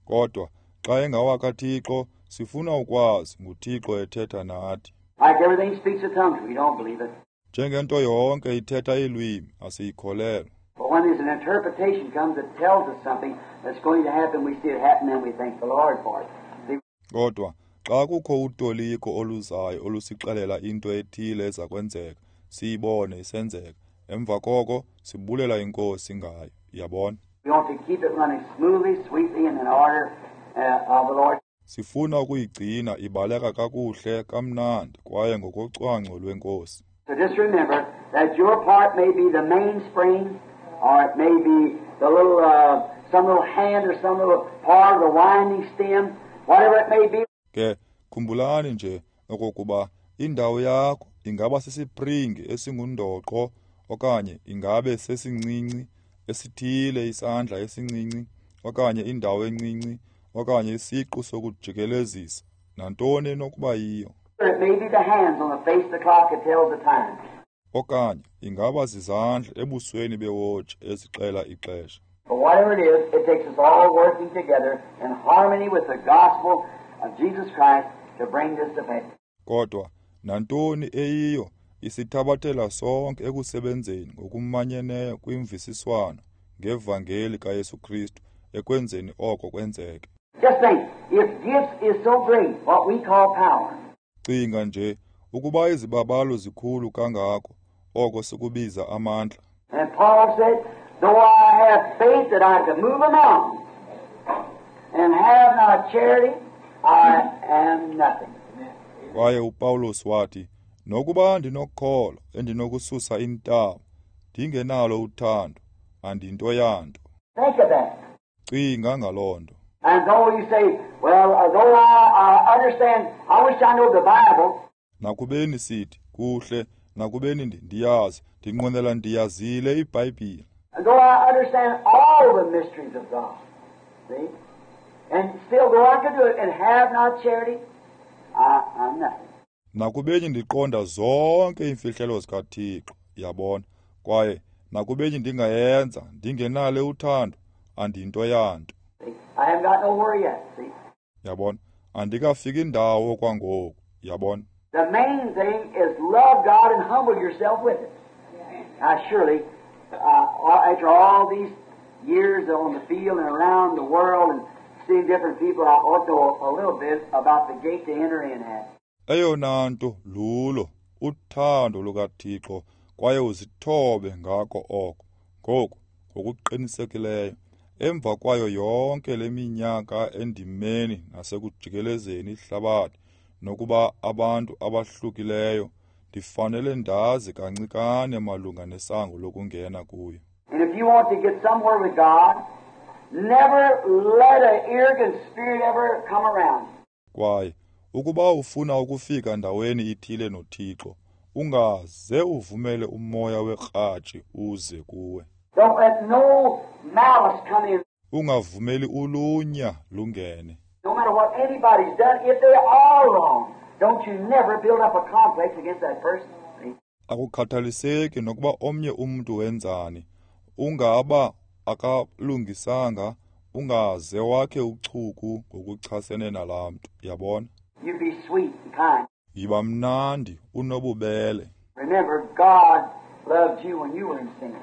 Kodwa xa engawakaThixo, sifuna ukwazi nguThixo ethetha nathi. Like everything speaks in tongues, we don't believe it. Njengento yonke ithetha iilwimi, asiyikholelwa. But when there's an interpretation comes that tells us something that's going to happen, we see it happen and we thank the Lord for it. See? Kodwa xa kukho utoliko oluzayo olusixelela into ethile eza kwenzeka, siyibone isenzeka. Emva koko sibulela iNkosi ngayo. Yabona? We want to keep it running smoothly, sweetly, and in order uh, of the Lord. Sifuna ukuyigcina ibaleka kakuhle kamnandi kwaye ngokocwangco lweNkosi. So just remember that your part may be the mainspring, or it may be the little, uh, some little hand or some little part of the winding stem, whatever it may be. Ke khumbulani nje okokuba indawo yakho ingaba sisipringi esingundoqo okanye ingabe sesincinci esithile isandla esincinci okanye indawo encinci okanye isiqu sokujikelezisa nantoni enokuba yiyo. It may be the hands on the face of the clock that tells the time. Okanye ingaba zizandla ebusweni bewotshi ezixela ixesha. But whatever it is, it takes us all working together in harmony with the gospel of Jesus Christ to bring this to pass. Kodwa nantoni eyiyo isithabathela sonke ekusebenzeni ngokumanyeneyo kwimvisiswano ngevangeli kaYesu Kristu ekwenzeni oko kwenzeke. Just think, if gifts is so great, what we call power. Cinga nje ukuba izibabalo zikhulu kangako oko sikubiza amandla. And Paul said, though I have faith that I can move a mountain and have not charity, I am nothing. Kwaye uPawulos wathi, nokuba ndinokholo endinokususa intaba, ndingenalo uthando, andinto yanto. Think of that. Cinga ngaloo nto. And though you say, well, though I, I understand, I wish I knew the Bible. Nakubeni sithi, kuhle, nakubeni ndiyazi, ndinqwenela ndiyazile iBhayibhile. And though I understand all the mysteries of God, see? And still though I could do it and have not charity, I, I'm nothing. Nakubeni ndiqonda zonke iimfihlelo zikaThixo, yabona, kwaye nakubeni ndingayenza, ndingenalo uthando, andinto yanto. I haven't got nowhere yet, see? Yabona, andikafiki indawo kwangoku, yabona. The main thing is love God and humble yourself with it. Now surely, uh, after all these years on the field and around the world and seeing different people, I ought to know a little bit about the gate to enter in at. Eyona nto lulo uthando lukaThixo kwaye uzithobe ngako oko. Ngoku ngokuqinisekileyo emva kwayo yonke le minyaka endimeni nasekujikelezeni ihlabathi nokuba abantu abahlukileyo ndifanele ndazi kancikane malunga nesango lokungena kuyo. And if you want to get somewhere with God, never let an arrogant spirit ever come around. Kwaye ukuba ufuna ukufika ndaweni ithile noThixo, ungaze uvumele umoya wekratshi uze kuwe. Don't let no malice come in. Ungavumeli ulunya lungene. No matter what anybody's done, if they are wrong, don't you never build up a complex against that person. Akukhathaliseki nokuba omnye umntu wenzani, ungaba akalungisanga, ungaze wakhe uchuku ngokuchasene nalaa mntu, yabona? You be sweet and kind. Yiba mnandi unobubele. Remember, God loved you when you were in sin.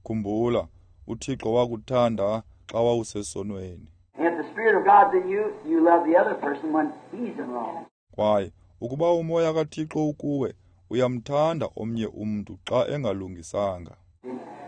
Khumbula, uThixo wakuthanda xa wawusesonweni. And if the Spirit of God's in you, you love the other person when he's in wrong. Kwaye ukuba umoya kaThixo ukuwe, uyamthanda omnye umntu xa engalungisanga.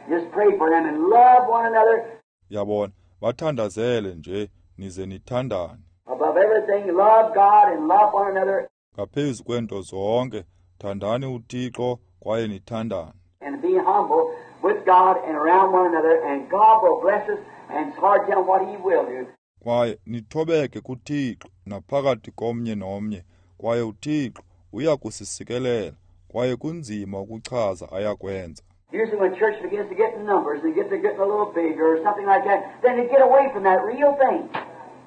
Just pray for them and love one another. Yabona, bathandazele nje nize nithandane. Above everything, love God and love one another. Ngaphezu kwento zonke, thandani uThixo kwaye nithandane. And be humble with God and around one another, and God will bless us, and it's hard to tell what He will do. Kwaye nithobeke kuThixo naphakathi komnye nomnye, kwaye uThixo uyakusisikelela, kwaye kunzima ukuchaza ayakwenza. Usually when church begins to get in numbers and get to getting a little bigger or something like that, then they get away from that real thing,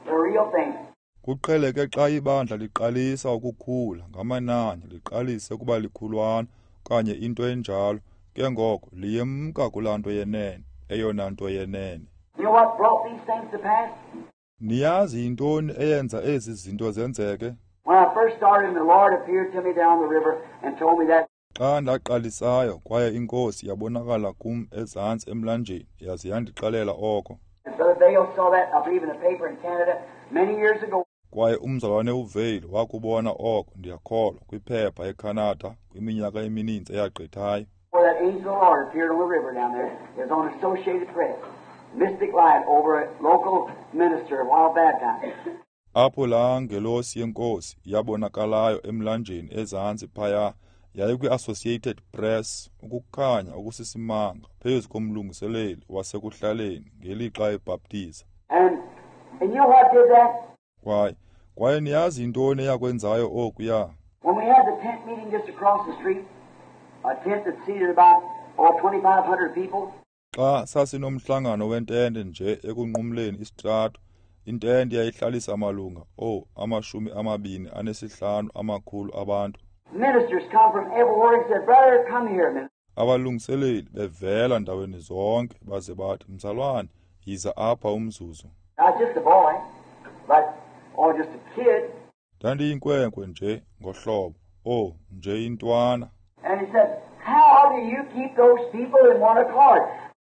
the real thing. Kuqheleke xa ibandla liqalisa ukukhula ngamanani, liqalise kuba likhulwana okanye into enjalo, ke ngoko liyemka kulaa nto yenene, eyona nto yenene. You know what brought these things to pass? Niyazi yintoni eyenza ezi zinto zenzeke? When I first started, the Lord appeared to me down the river and told me that. Xa ndaqalisayo kwaye iNkosi yabonakala kum ezantsi emlanjeni yaze yandixelela oko. And Brother Vayle saw that, I believe, in the paper in Canada many years ago. Kwaye umzalwane uVayle wakubona oko, ndiyakholwa, kwiphepha eCanada kwiminyaka emininzi eyagqithayo. Where that angel of the Lord appeared on the river down there. It was on Associated Press. Mystic light over a local minister while baptized. Apho laa ngelosi yeNkosi yabonakalayo emlanjeni ezantsi phaya yayikwi-Associated Press, ukukhanya okusisimanga phezu komlungiseleli wasekuhlaleni ngelixa ebhaptiza. And, and you know what did that? Kwaye, kwaye niyazi yintoni eyakwenzayo okuya? When we had the tent meeting just across the street, a tent that seated about oh, twenty-five hundred people. Xa sasinomhlangano wentente nje ekunqumleni isitrato, intente yayihlalisa malunga oh amashumi amabini anesihlanu amakhulu abantu. Ministers come from everywhere and said, Brother, come here a minute. Abalungiseleli bevela ndaweni zonke baze bathi, Mzalwane, yiza apha umzuzu. I was just a boy, but or just a kid. Ndandiyinkwenkwe nje ngohlobo, oh nje intwana. And he said, How do you keep those people in one accord?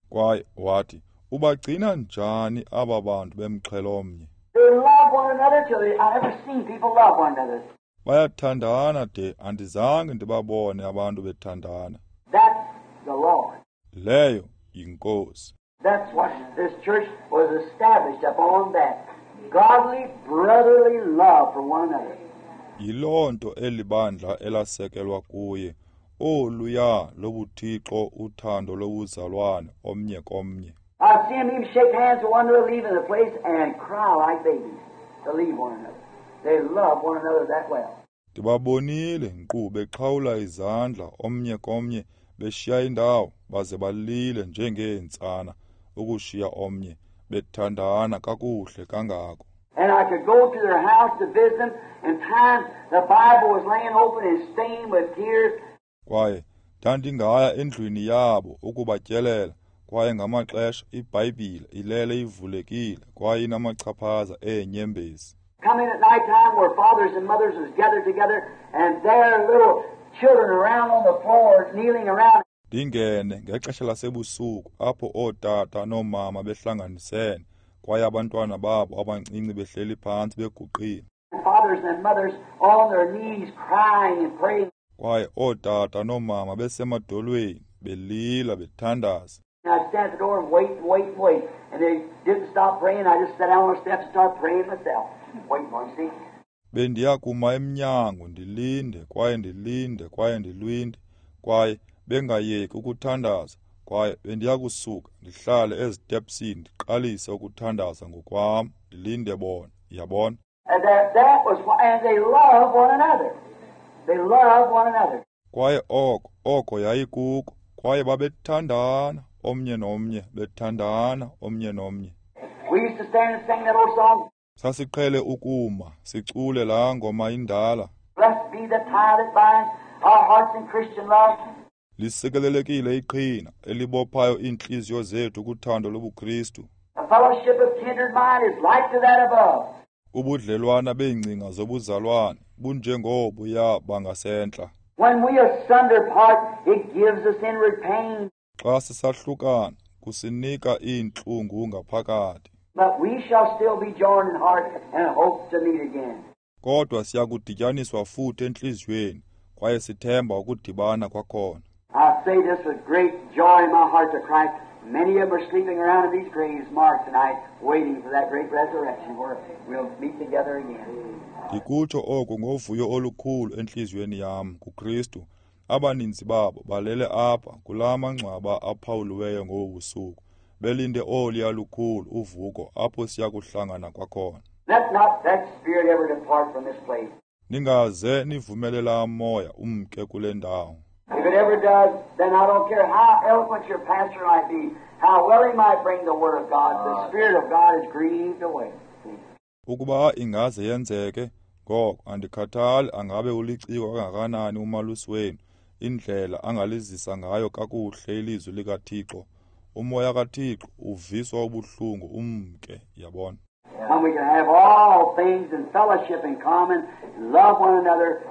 Kwaye wathi, ubagcina njani aba bantu bemxhelo omnye? They love one another till they, I've never seen people love one another. Bayathandana de andizange ndibabone abantu bethandana. That's the Lord. Leyo yinkosi. That's what this church was established upon, that godly brotherly love for one another. Yiloo nto elibandla elasekelwa kuye, oluya lobuthixo uthando lobuzalwane omnye komnye. I've seen them even shake hands with one another leaving the place and cry like babies to leave one another. They love one another that well. Ndibabonile nkqu bexhawula izandla omnye komnye beshiya indawo baze balile njengeentsana ukushiya omnye bethandana kakuhle kangako. And I could go to their house to visit them, and times the Bible was laying open and stained with tears. Kwaye ndandingaya endlwini yabo ukubatyelela, kwaye ngamaxesha iBhayibhile ilele ivulekile kwaye inamachaphaza eenyembezi. Come in at night time where fathers and mothers was gathered together and their little children around on the floor kneeling around. Ndingene ngexesha lasebusuku apho ootata noomama behlanganisene kwaye abantwana babo abancinci behleli phantsi beguqile. Fathers and mothers on their knees crying and praying. Kwaye ootata noomama besemadolweni belila bethandaza. I'd stand at the door and wait and wait and wait, and they didn't stop praying. I just sat down on the steps and started praying myself, waiting for them, see. Bendiya kuma emnyango ndilinde kwaye ndilinde kwaye ndilwinde kwaye bengayeki ukuthandaza, kwaye bendiya kusuka ndihlale ezitepsini ndiqalise ukuthandaza ngokwam ndilinde bona, yabona. And that, that was why, and they love one another. They love one another. Kwaye oko oko yayikuko, kwaye babethandana omnye nomnye, bethandana omnye nomnye. We used to stand and sing that old song. Sasiqhele ukuma sicule laa ngoma indala. Blessed be the tie that binds our hearts in Christian love. Lisikelelekile iqhina elibophayo iintliziyo zethu kuthando lobuKristu. The fellowship of kindred mind is like to that above. Ubudlelwana beengcinga zobuzalwane bunjengobuya bangasentla. When we asunder part, it gives us inward pain. Xa sisahlukana kusinika iintlungu ngaphakathi. But we shall still be joined in heart and hope to meet again. Kodwa siyakudityaniswa futhi entliziyweni kwaye sithemba ukudibana kwakhona. I say this with great joy in my heart to Christ. Many of them are sleeping around in these graves marked tonight, waiting for that great resurrection where we'll meet together again. Ndikutsho oku ngovuyo olukhulu entliziyweni yam kuKristu. Abaninzi babo balele apha kulaa mangcwaba aphawuliweyo ngobu busuku, belinde oluya lukhulu uvuko apho siya kuhlangana kwakhona. Let not that spirit ever depart from this place. Ningaze nivumele laa moya umke kule ndawo. If it ever does, then I don't care how eloquent your pastor might be, how well he might bring the Word of God, the Spirit of God is grieved away. Ukuba ingaze yenzeke, ngoko andikhathali angabe uliciko kangakanani umalusi wenu, indlela angalizisa ngayo kakuhle ilizwi likaThixo, umoya kaThixo uviswa ubuhlungu umke, yabona. When we can have all things in fellowship in common, love one another,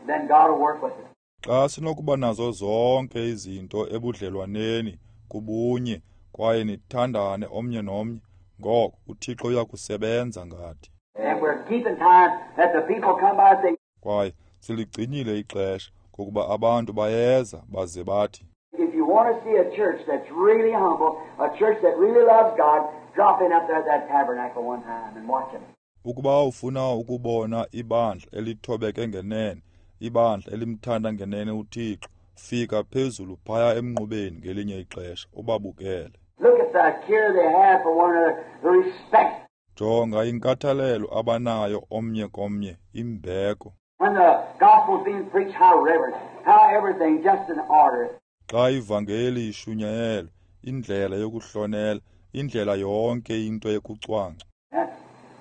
then God will work with us. Xa sinokuba nazo zonke izinto ebudlelwaneni kubunye kwaye nithandane omnye nomnye, ngoko uThixo uyakusebenza ngathi. And we're keeping time that the people come by and say, Kwaye siligcinile ixesha ngokuba abantu bayeza baze bathi, if you want to see a church that's really humble, a church that really loves God, drop in up there at that tabernacle one time and watch them. Ukuba ufuna ukubona ibandla elithobeke ngenene, ibandla elimthanda ngenene uThixo, fika phezulu phaya emnqubeni ngelinye ixesha ubabukele. Look at the care they have for one another, the respect. Jonga inkathalelo abanayo omnye komnye, imbeko. When the gospel's being preached, how reverent, how everything just in order. Xa ivangeli ishunyayelwa, indlela yokuhlonela, indlela yonke into yokucwangca. That's,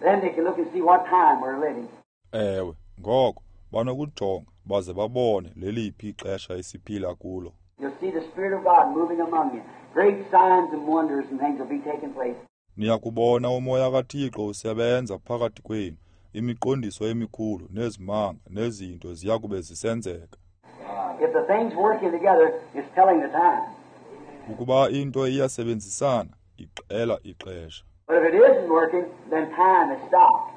then they can look and see what time we're living. Ewe, ngoko banokujonga baze babone leliphi ixesha esiphila kulo. You'll see the Spirit of God moving among you. Great signs and wonders and things will be taking place. Niyakubona umoya kaThixo usebenza phakathi kwenu, imiqondiso emikhulu nezimanga nezinto ziyakube zisenzeka. If the thing's working together, it's telling the time. Ukuba into iyasebenzisana, ixela ixesha. But if it isn't working, then time is stopped.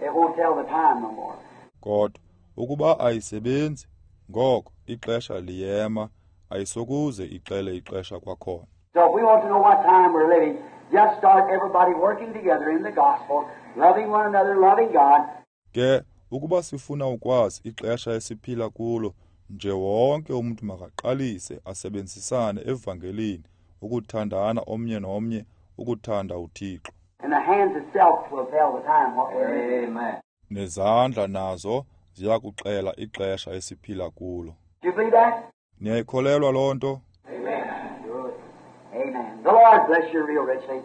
It won't tell the time no more. Kodwa ukuba ayisebenzi, ngoko ixesha liyema, ayisokuze ixele ixesha kwakhona. So if we want to know what time we're living, just start everybody working together in the gospel, loving one another, loving God. Ke ukuba sifuna ukwazi ixesha esiphila kulo, nje wonke umuntu makaqalise asebenzisane evangelini, ukuthandana omnye nomnye, ukuthanda uThixo. And the hands itself will tell the time what we're living. Amen. Nezandla nazo ziyakuxela ixesha esiphila kulo. Do you believe that? Niyayikholelwa loo nto? Amen. Amen. The Lord bless you real richly.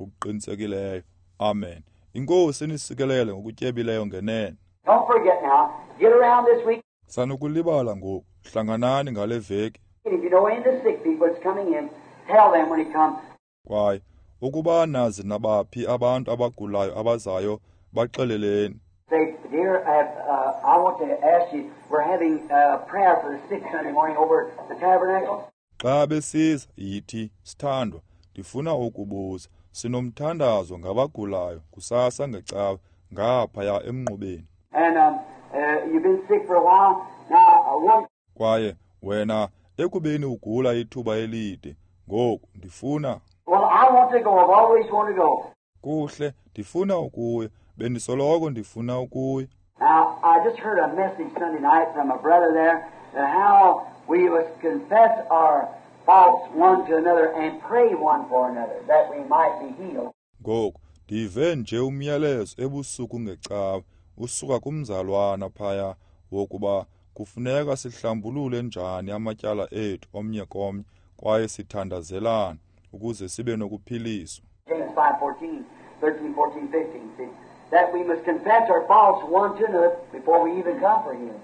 Ngokuqinisekileyo. Amen. Inkosi inisikelele ngokutyebileyo ngenene. Don't forget now, get around this week. Sanukulibala ngoku, hlanganani ngale veki. If you know any of the sick people that's coming in, tell them when he comes. Kwaye ukuba nazi nabaphi abantu abagulayo abazayo, baxeleleni. Say, dear, uh, I want to ask you, we're having a prayer for the sick Sunday morning over at the tabernacle. Xa besiza, yithi, sithandwa, ndifuna ukubuza, sinomthandazo ngabagulayo kusasa ngecawe ngaphaya emnqubeni. And um, uh, you've been sick for a while. Now, uh, one Kwaye wena ekubeni ugula ithuba elide, ngoku ndifuna Well, I want to go. I've always wanted to go. Kuhle, ndifuna ukuya. Bendisoloko ndifuna ukuya. Now, I just heard a message Sunday night from a brother there that how we must confess our faults one to another and pray one for another that we might be healed. Ngoku ndive nje umyalezo ebusuku ngecawe usuka kumzalwana phaya wokuba kufuneka sihlambulule njani amatyala ethu omnye komnye kwaye sithandazelane ukuze sibe nokuphiliswa. James five fourteen, thirteen, fourteen, fifteen, see, that we must confess our faults one to another before we even come for healing.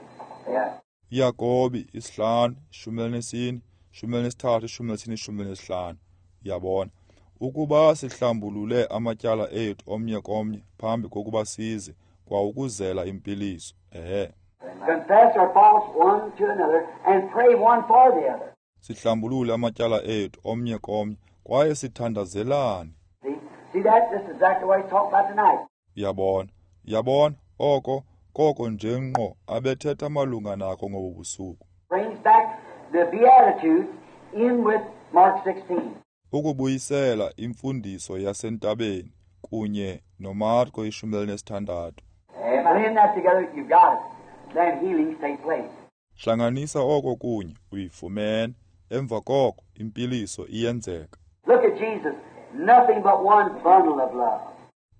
Yeah. Yakobi isihlanu, ishumi elinesine, ishumi elinesithathu, ishumi elinesine, ishumi elinesihlanu. Uyabona, ukuba sihlambulule amatyala ethu omnye komnye phambi kokuba size kwawukuzela impiliso. Ehe. Confess our faults one to another and pray one for the other. Sihlambulule amatyala ethu omnye komnye kwaye sithandazelane. See? See that? This is exactly what he's talking about tonight. Uyabona, uyabona, oko koko nje ngqo abethetha malunga nako ngobu busuku. Brings back the Beatitudes in with Mark sixteen. Ukubuyisela imfundiso yasentabeni kunye noMarko ishumi elinesithandathu. Blend that together, you've got it. Then healings take place. Hlanganisa oko kunye, uyifumene. Emva koko impiliso iyenzeka. Look at Jesus, nothing but one bundle of love.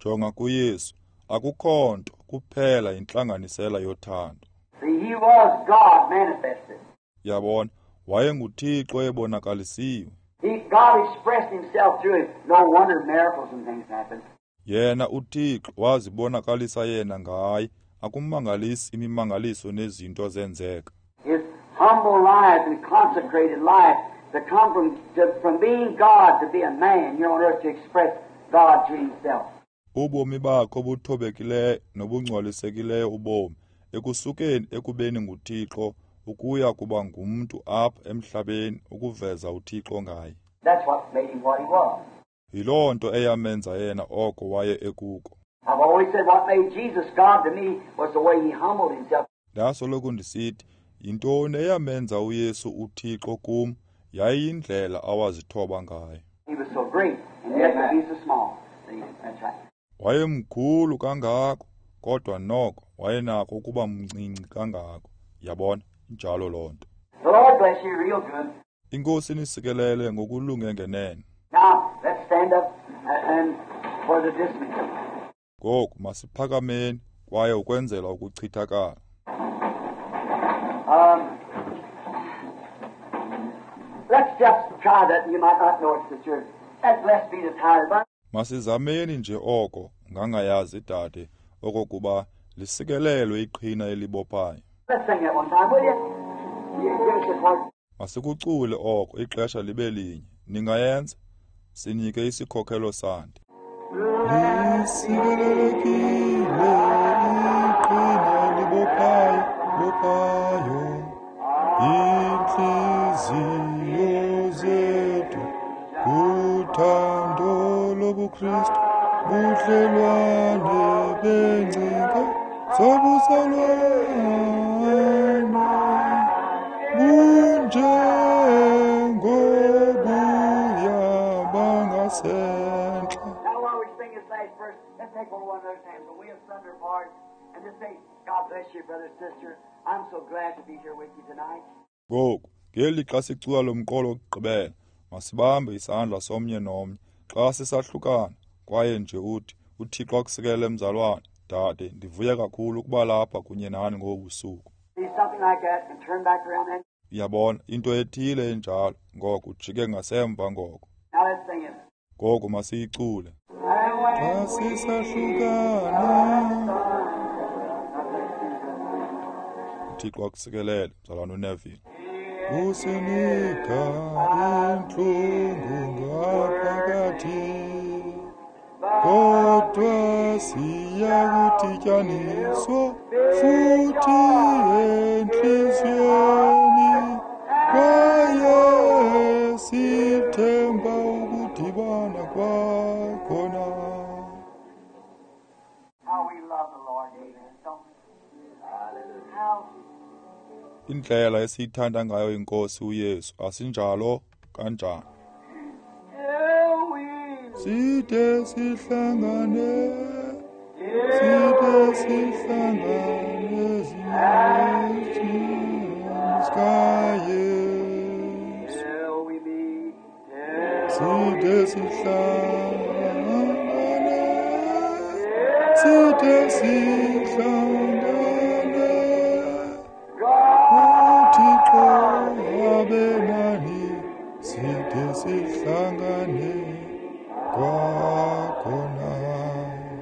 Jonga kuYesu, akukho nto kuphela intlanganisela yothando. See, he was God manifested. Yabona, wayenguThixo ebonakalisiwe. He, God expressed himself through him. No wonder miracles and things happened. Yena uThixo wazibonakalisa yena ngaye, akumangalisi imimangaliso nezinto zenzeka. His humble life and consecrated life to come from, to, from being God to be a man here on earth to express God to himself. Ubomi bakhe obuthobekileyo nobungcwalisekileyo ubomi ekusukeni ekubeni nguThixo ukuya kuba ngumntu apha emhlabeni ukuveza uThixo ngaye. That's what made him what he was. Yiloo nto eyamenza yena oko waye ekuko. I've always said what made Jesus God to me was the way he humbled himself. Ndasoloko ndisithi yintoni eyamenza uYesu uThixo kum yayiyindlela awazithoba ngayo. He was so great, and yet to be so small. See, that's right. Wayemkhulu kangako, kodwa noko wayenako ukuba mncinci kangako. Yabona, injalo loo nto. The Lord bless you real good. Inkosi inisikelele ngokulunge ngenene. Now, let's stand up and for the dismissal. Ngoku masiphakameni kwaye ukwenzela ukuchithakala. Um, let's just try that. You might not know it, sister. That blessed be the tide. Masizameni nje oko ngangayazi dade okokuba lisikelelwe iqhina elibophayo. Let's sing that one time, will you? You give us a part. Masikucule oko ixesha libe linye. Ningayenza? Sinike isikhokhelo sandi. Lisikelelekile iqhina elibophayo, bophayo intliziyo zethu kuthando lobuKristu budlelwane bengcinga zobuzalwane bunjengobuya bangasentla. Now while we sing this last verse, let's take one another's hands and we asunder part and just say, God bless you, brother, sister. I'm so glad to be here with you tonight. Ngoku ngeli xa sicula lo mqolo wokugqibela, masibambe isandla somnye nomnye xa sisahlukana kwaye nje uthi uThixo akusikelele mzalwane, dade, ndivuya kakhulu ukuba lapha kunye nani ngobu busuku. See something like that and turn back around then. Uyabona into ethile enjalo, ngoko ujike ngasemva ngoko. Now let's sing it. Ngoku masiyicule. And when Xa sisahlukana, uThixo akusikelele mzalwane uNeville. Usinika intlungu ngaphakathi, kodwa siyakudityaniswa futhi entliziyweni, kwaye sithemba ukudibana kwakhona. How we love the Lord, amen. Don't we? How Indlela esiyithanda ngayo iNkosi uYesu, asinjalo kanjani? till we Side sihlangane, side sihlangane ezinyaweni zikaYesu. till we meet, till Side sihlangane, side sihlangane, uThixo abe nani, side sihlangane kwakhona.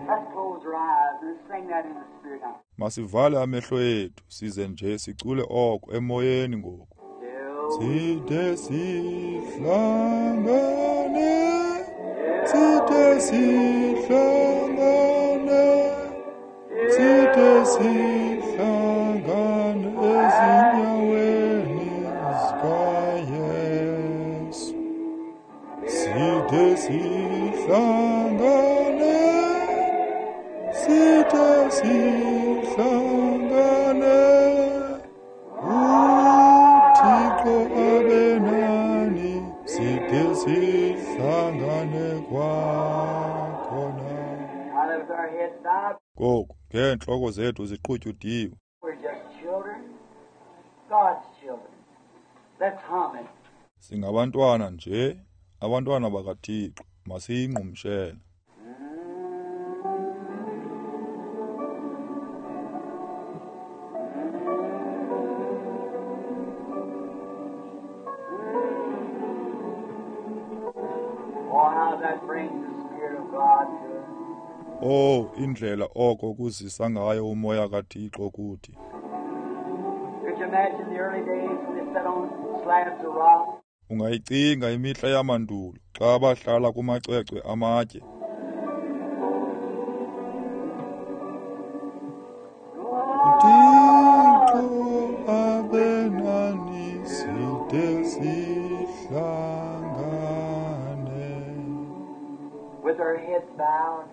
Let's close our eyes and sing that in the spirit now. Masivale amehlo ethu size nje sicule oko emoyeni ngoku. Till Side sihlangane, side sihlangane, side sihlangane ezinyaweni zikaYesu. Side sihlangane, side sihlangane, uThixo abe nani, side sihlangane kwakhona. Now that with our heads bowed, Ngoku ngeentloko zethu ziqutyudiwe, we're just children, God's children. Let's hum it. singabantwana nje, abantwana bakaThixo, masiyingqumshele. Oh, how that brings the Spirit of God to us. Oh, indlela oko kuzisa ngayo umoya kaThixo kuthi. Could you imagine the early days when they sat on slabs of rock? Ungayicinga imihla yamandulo xa bahlala kumacwecwe amatye. uThixo abe bowed,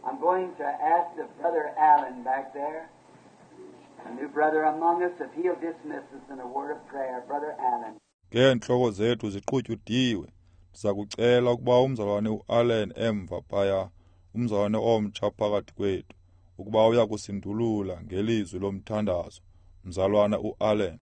I'm going to ask if Brother Allen back there, a new brother among us, if he'll dismiss us in a word of prayer. Brother Allen. Ngeentloko zethu ziqutyudiwe, ndiza kucela ukuba umzalwane uAllen emva phaya, umzalwane omtsha phakathi kwethu, ukuba uya kusindulula ngelizwi lomthandazo. Mzalwana uAllen.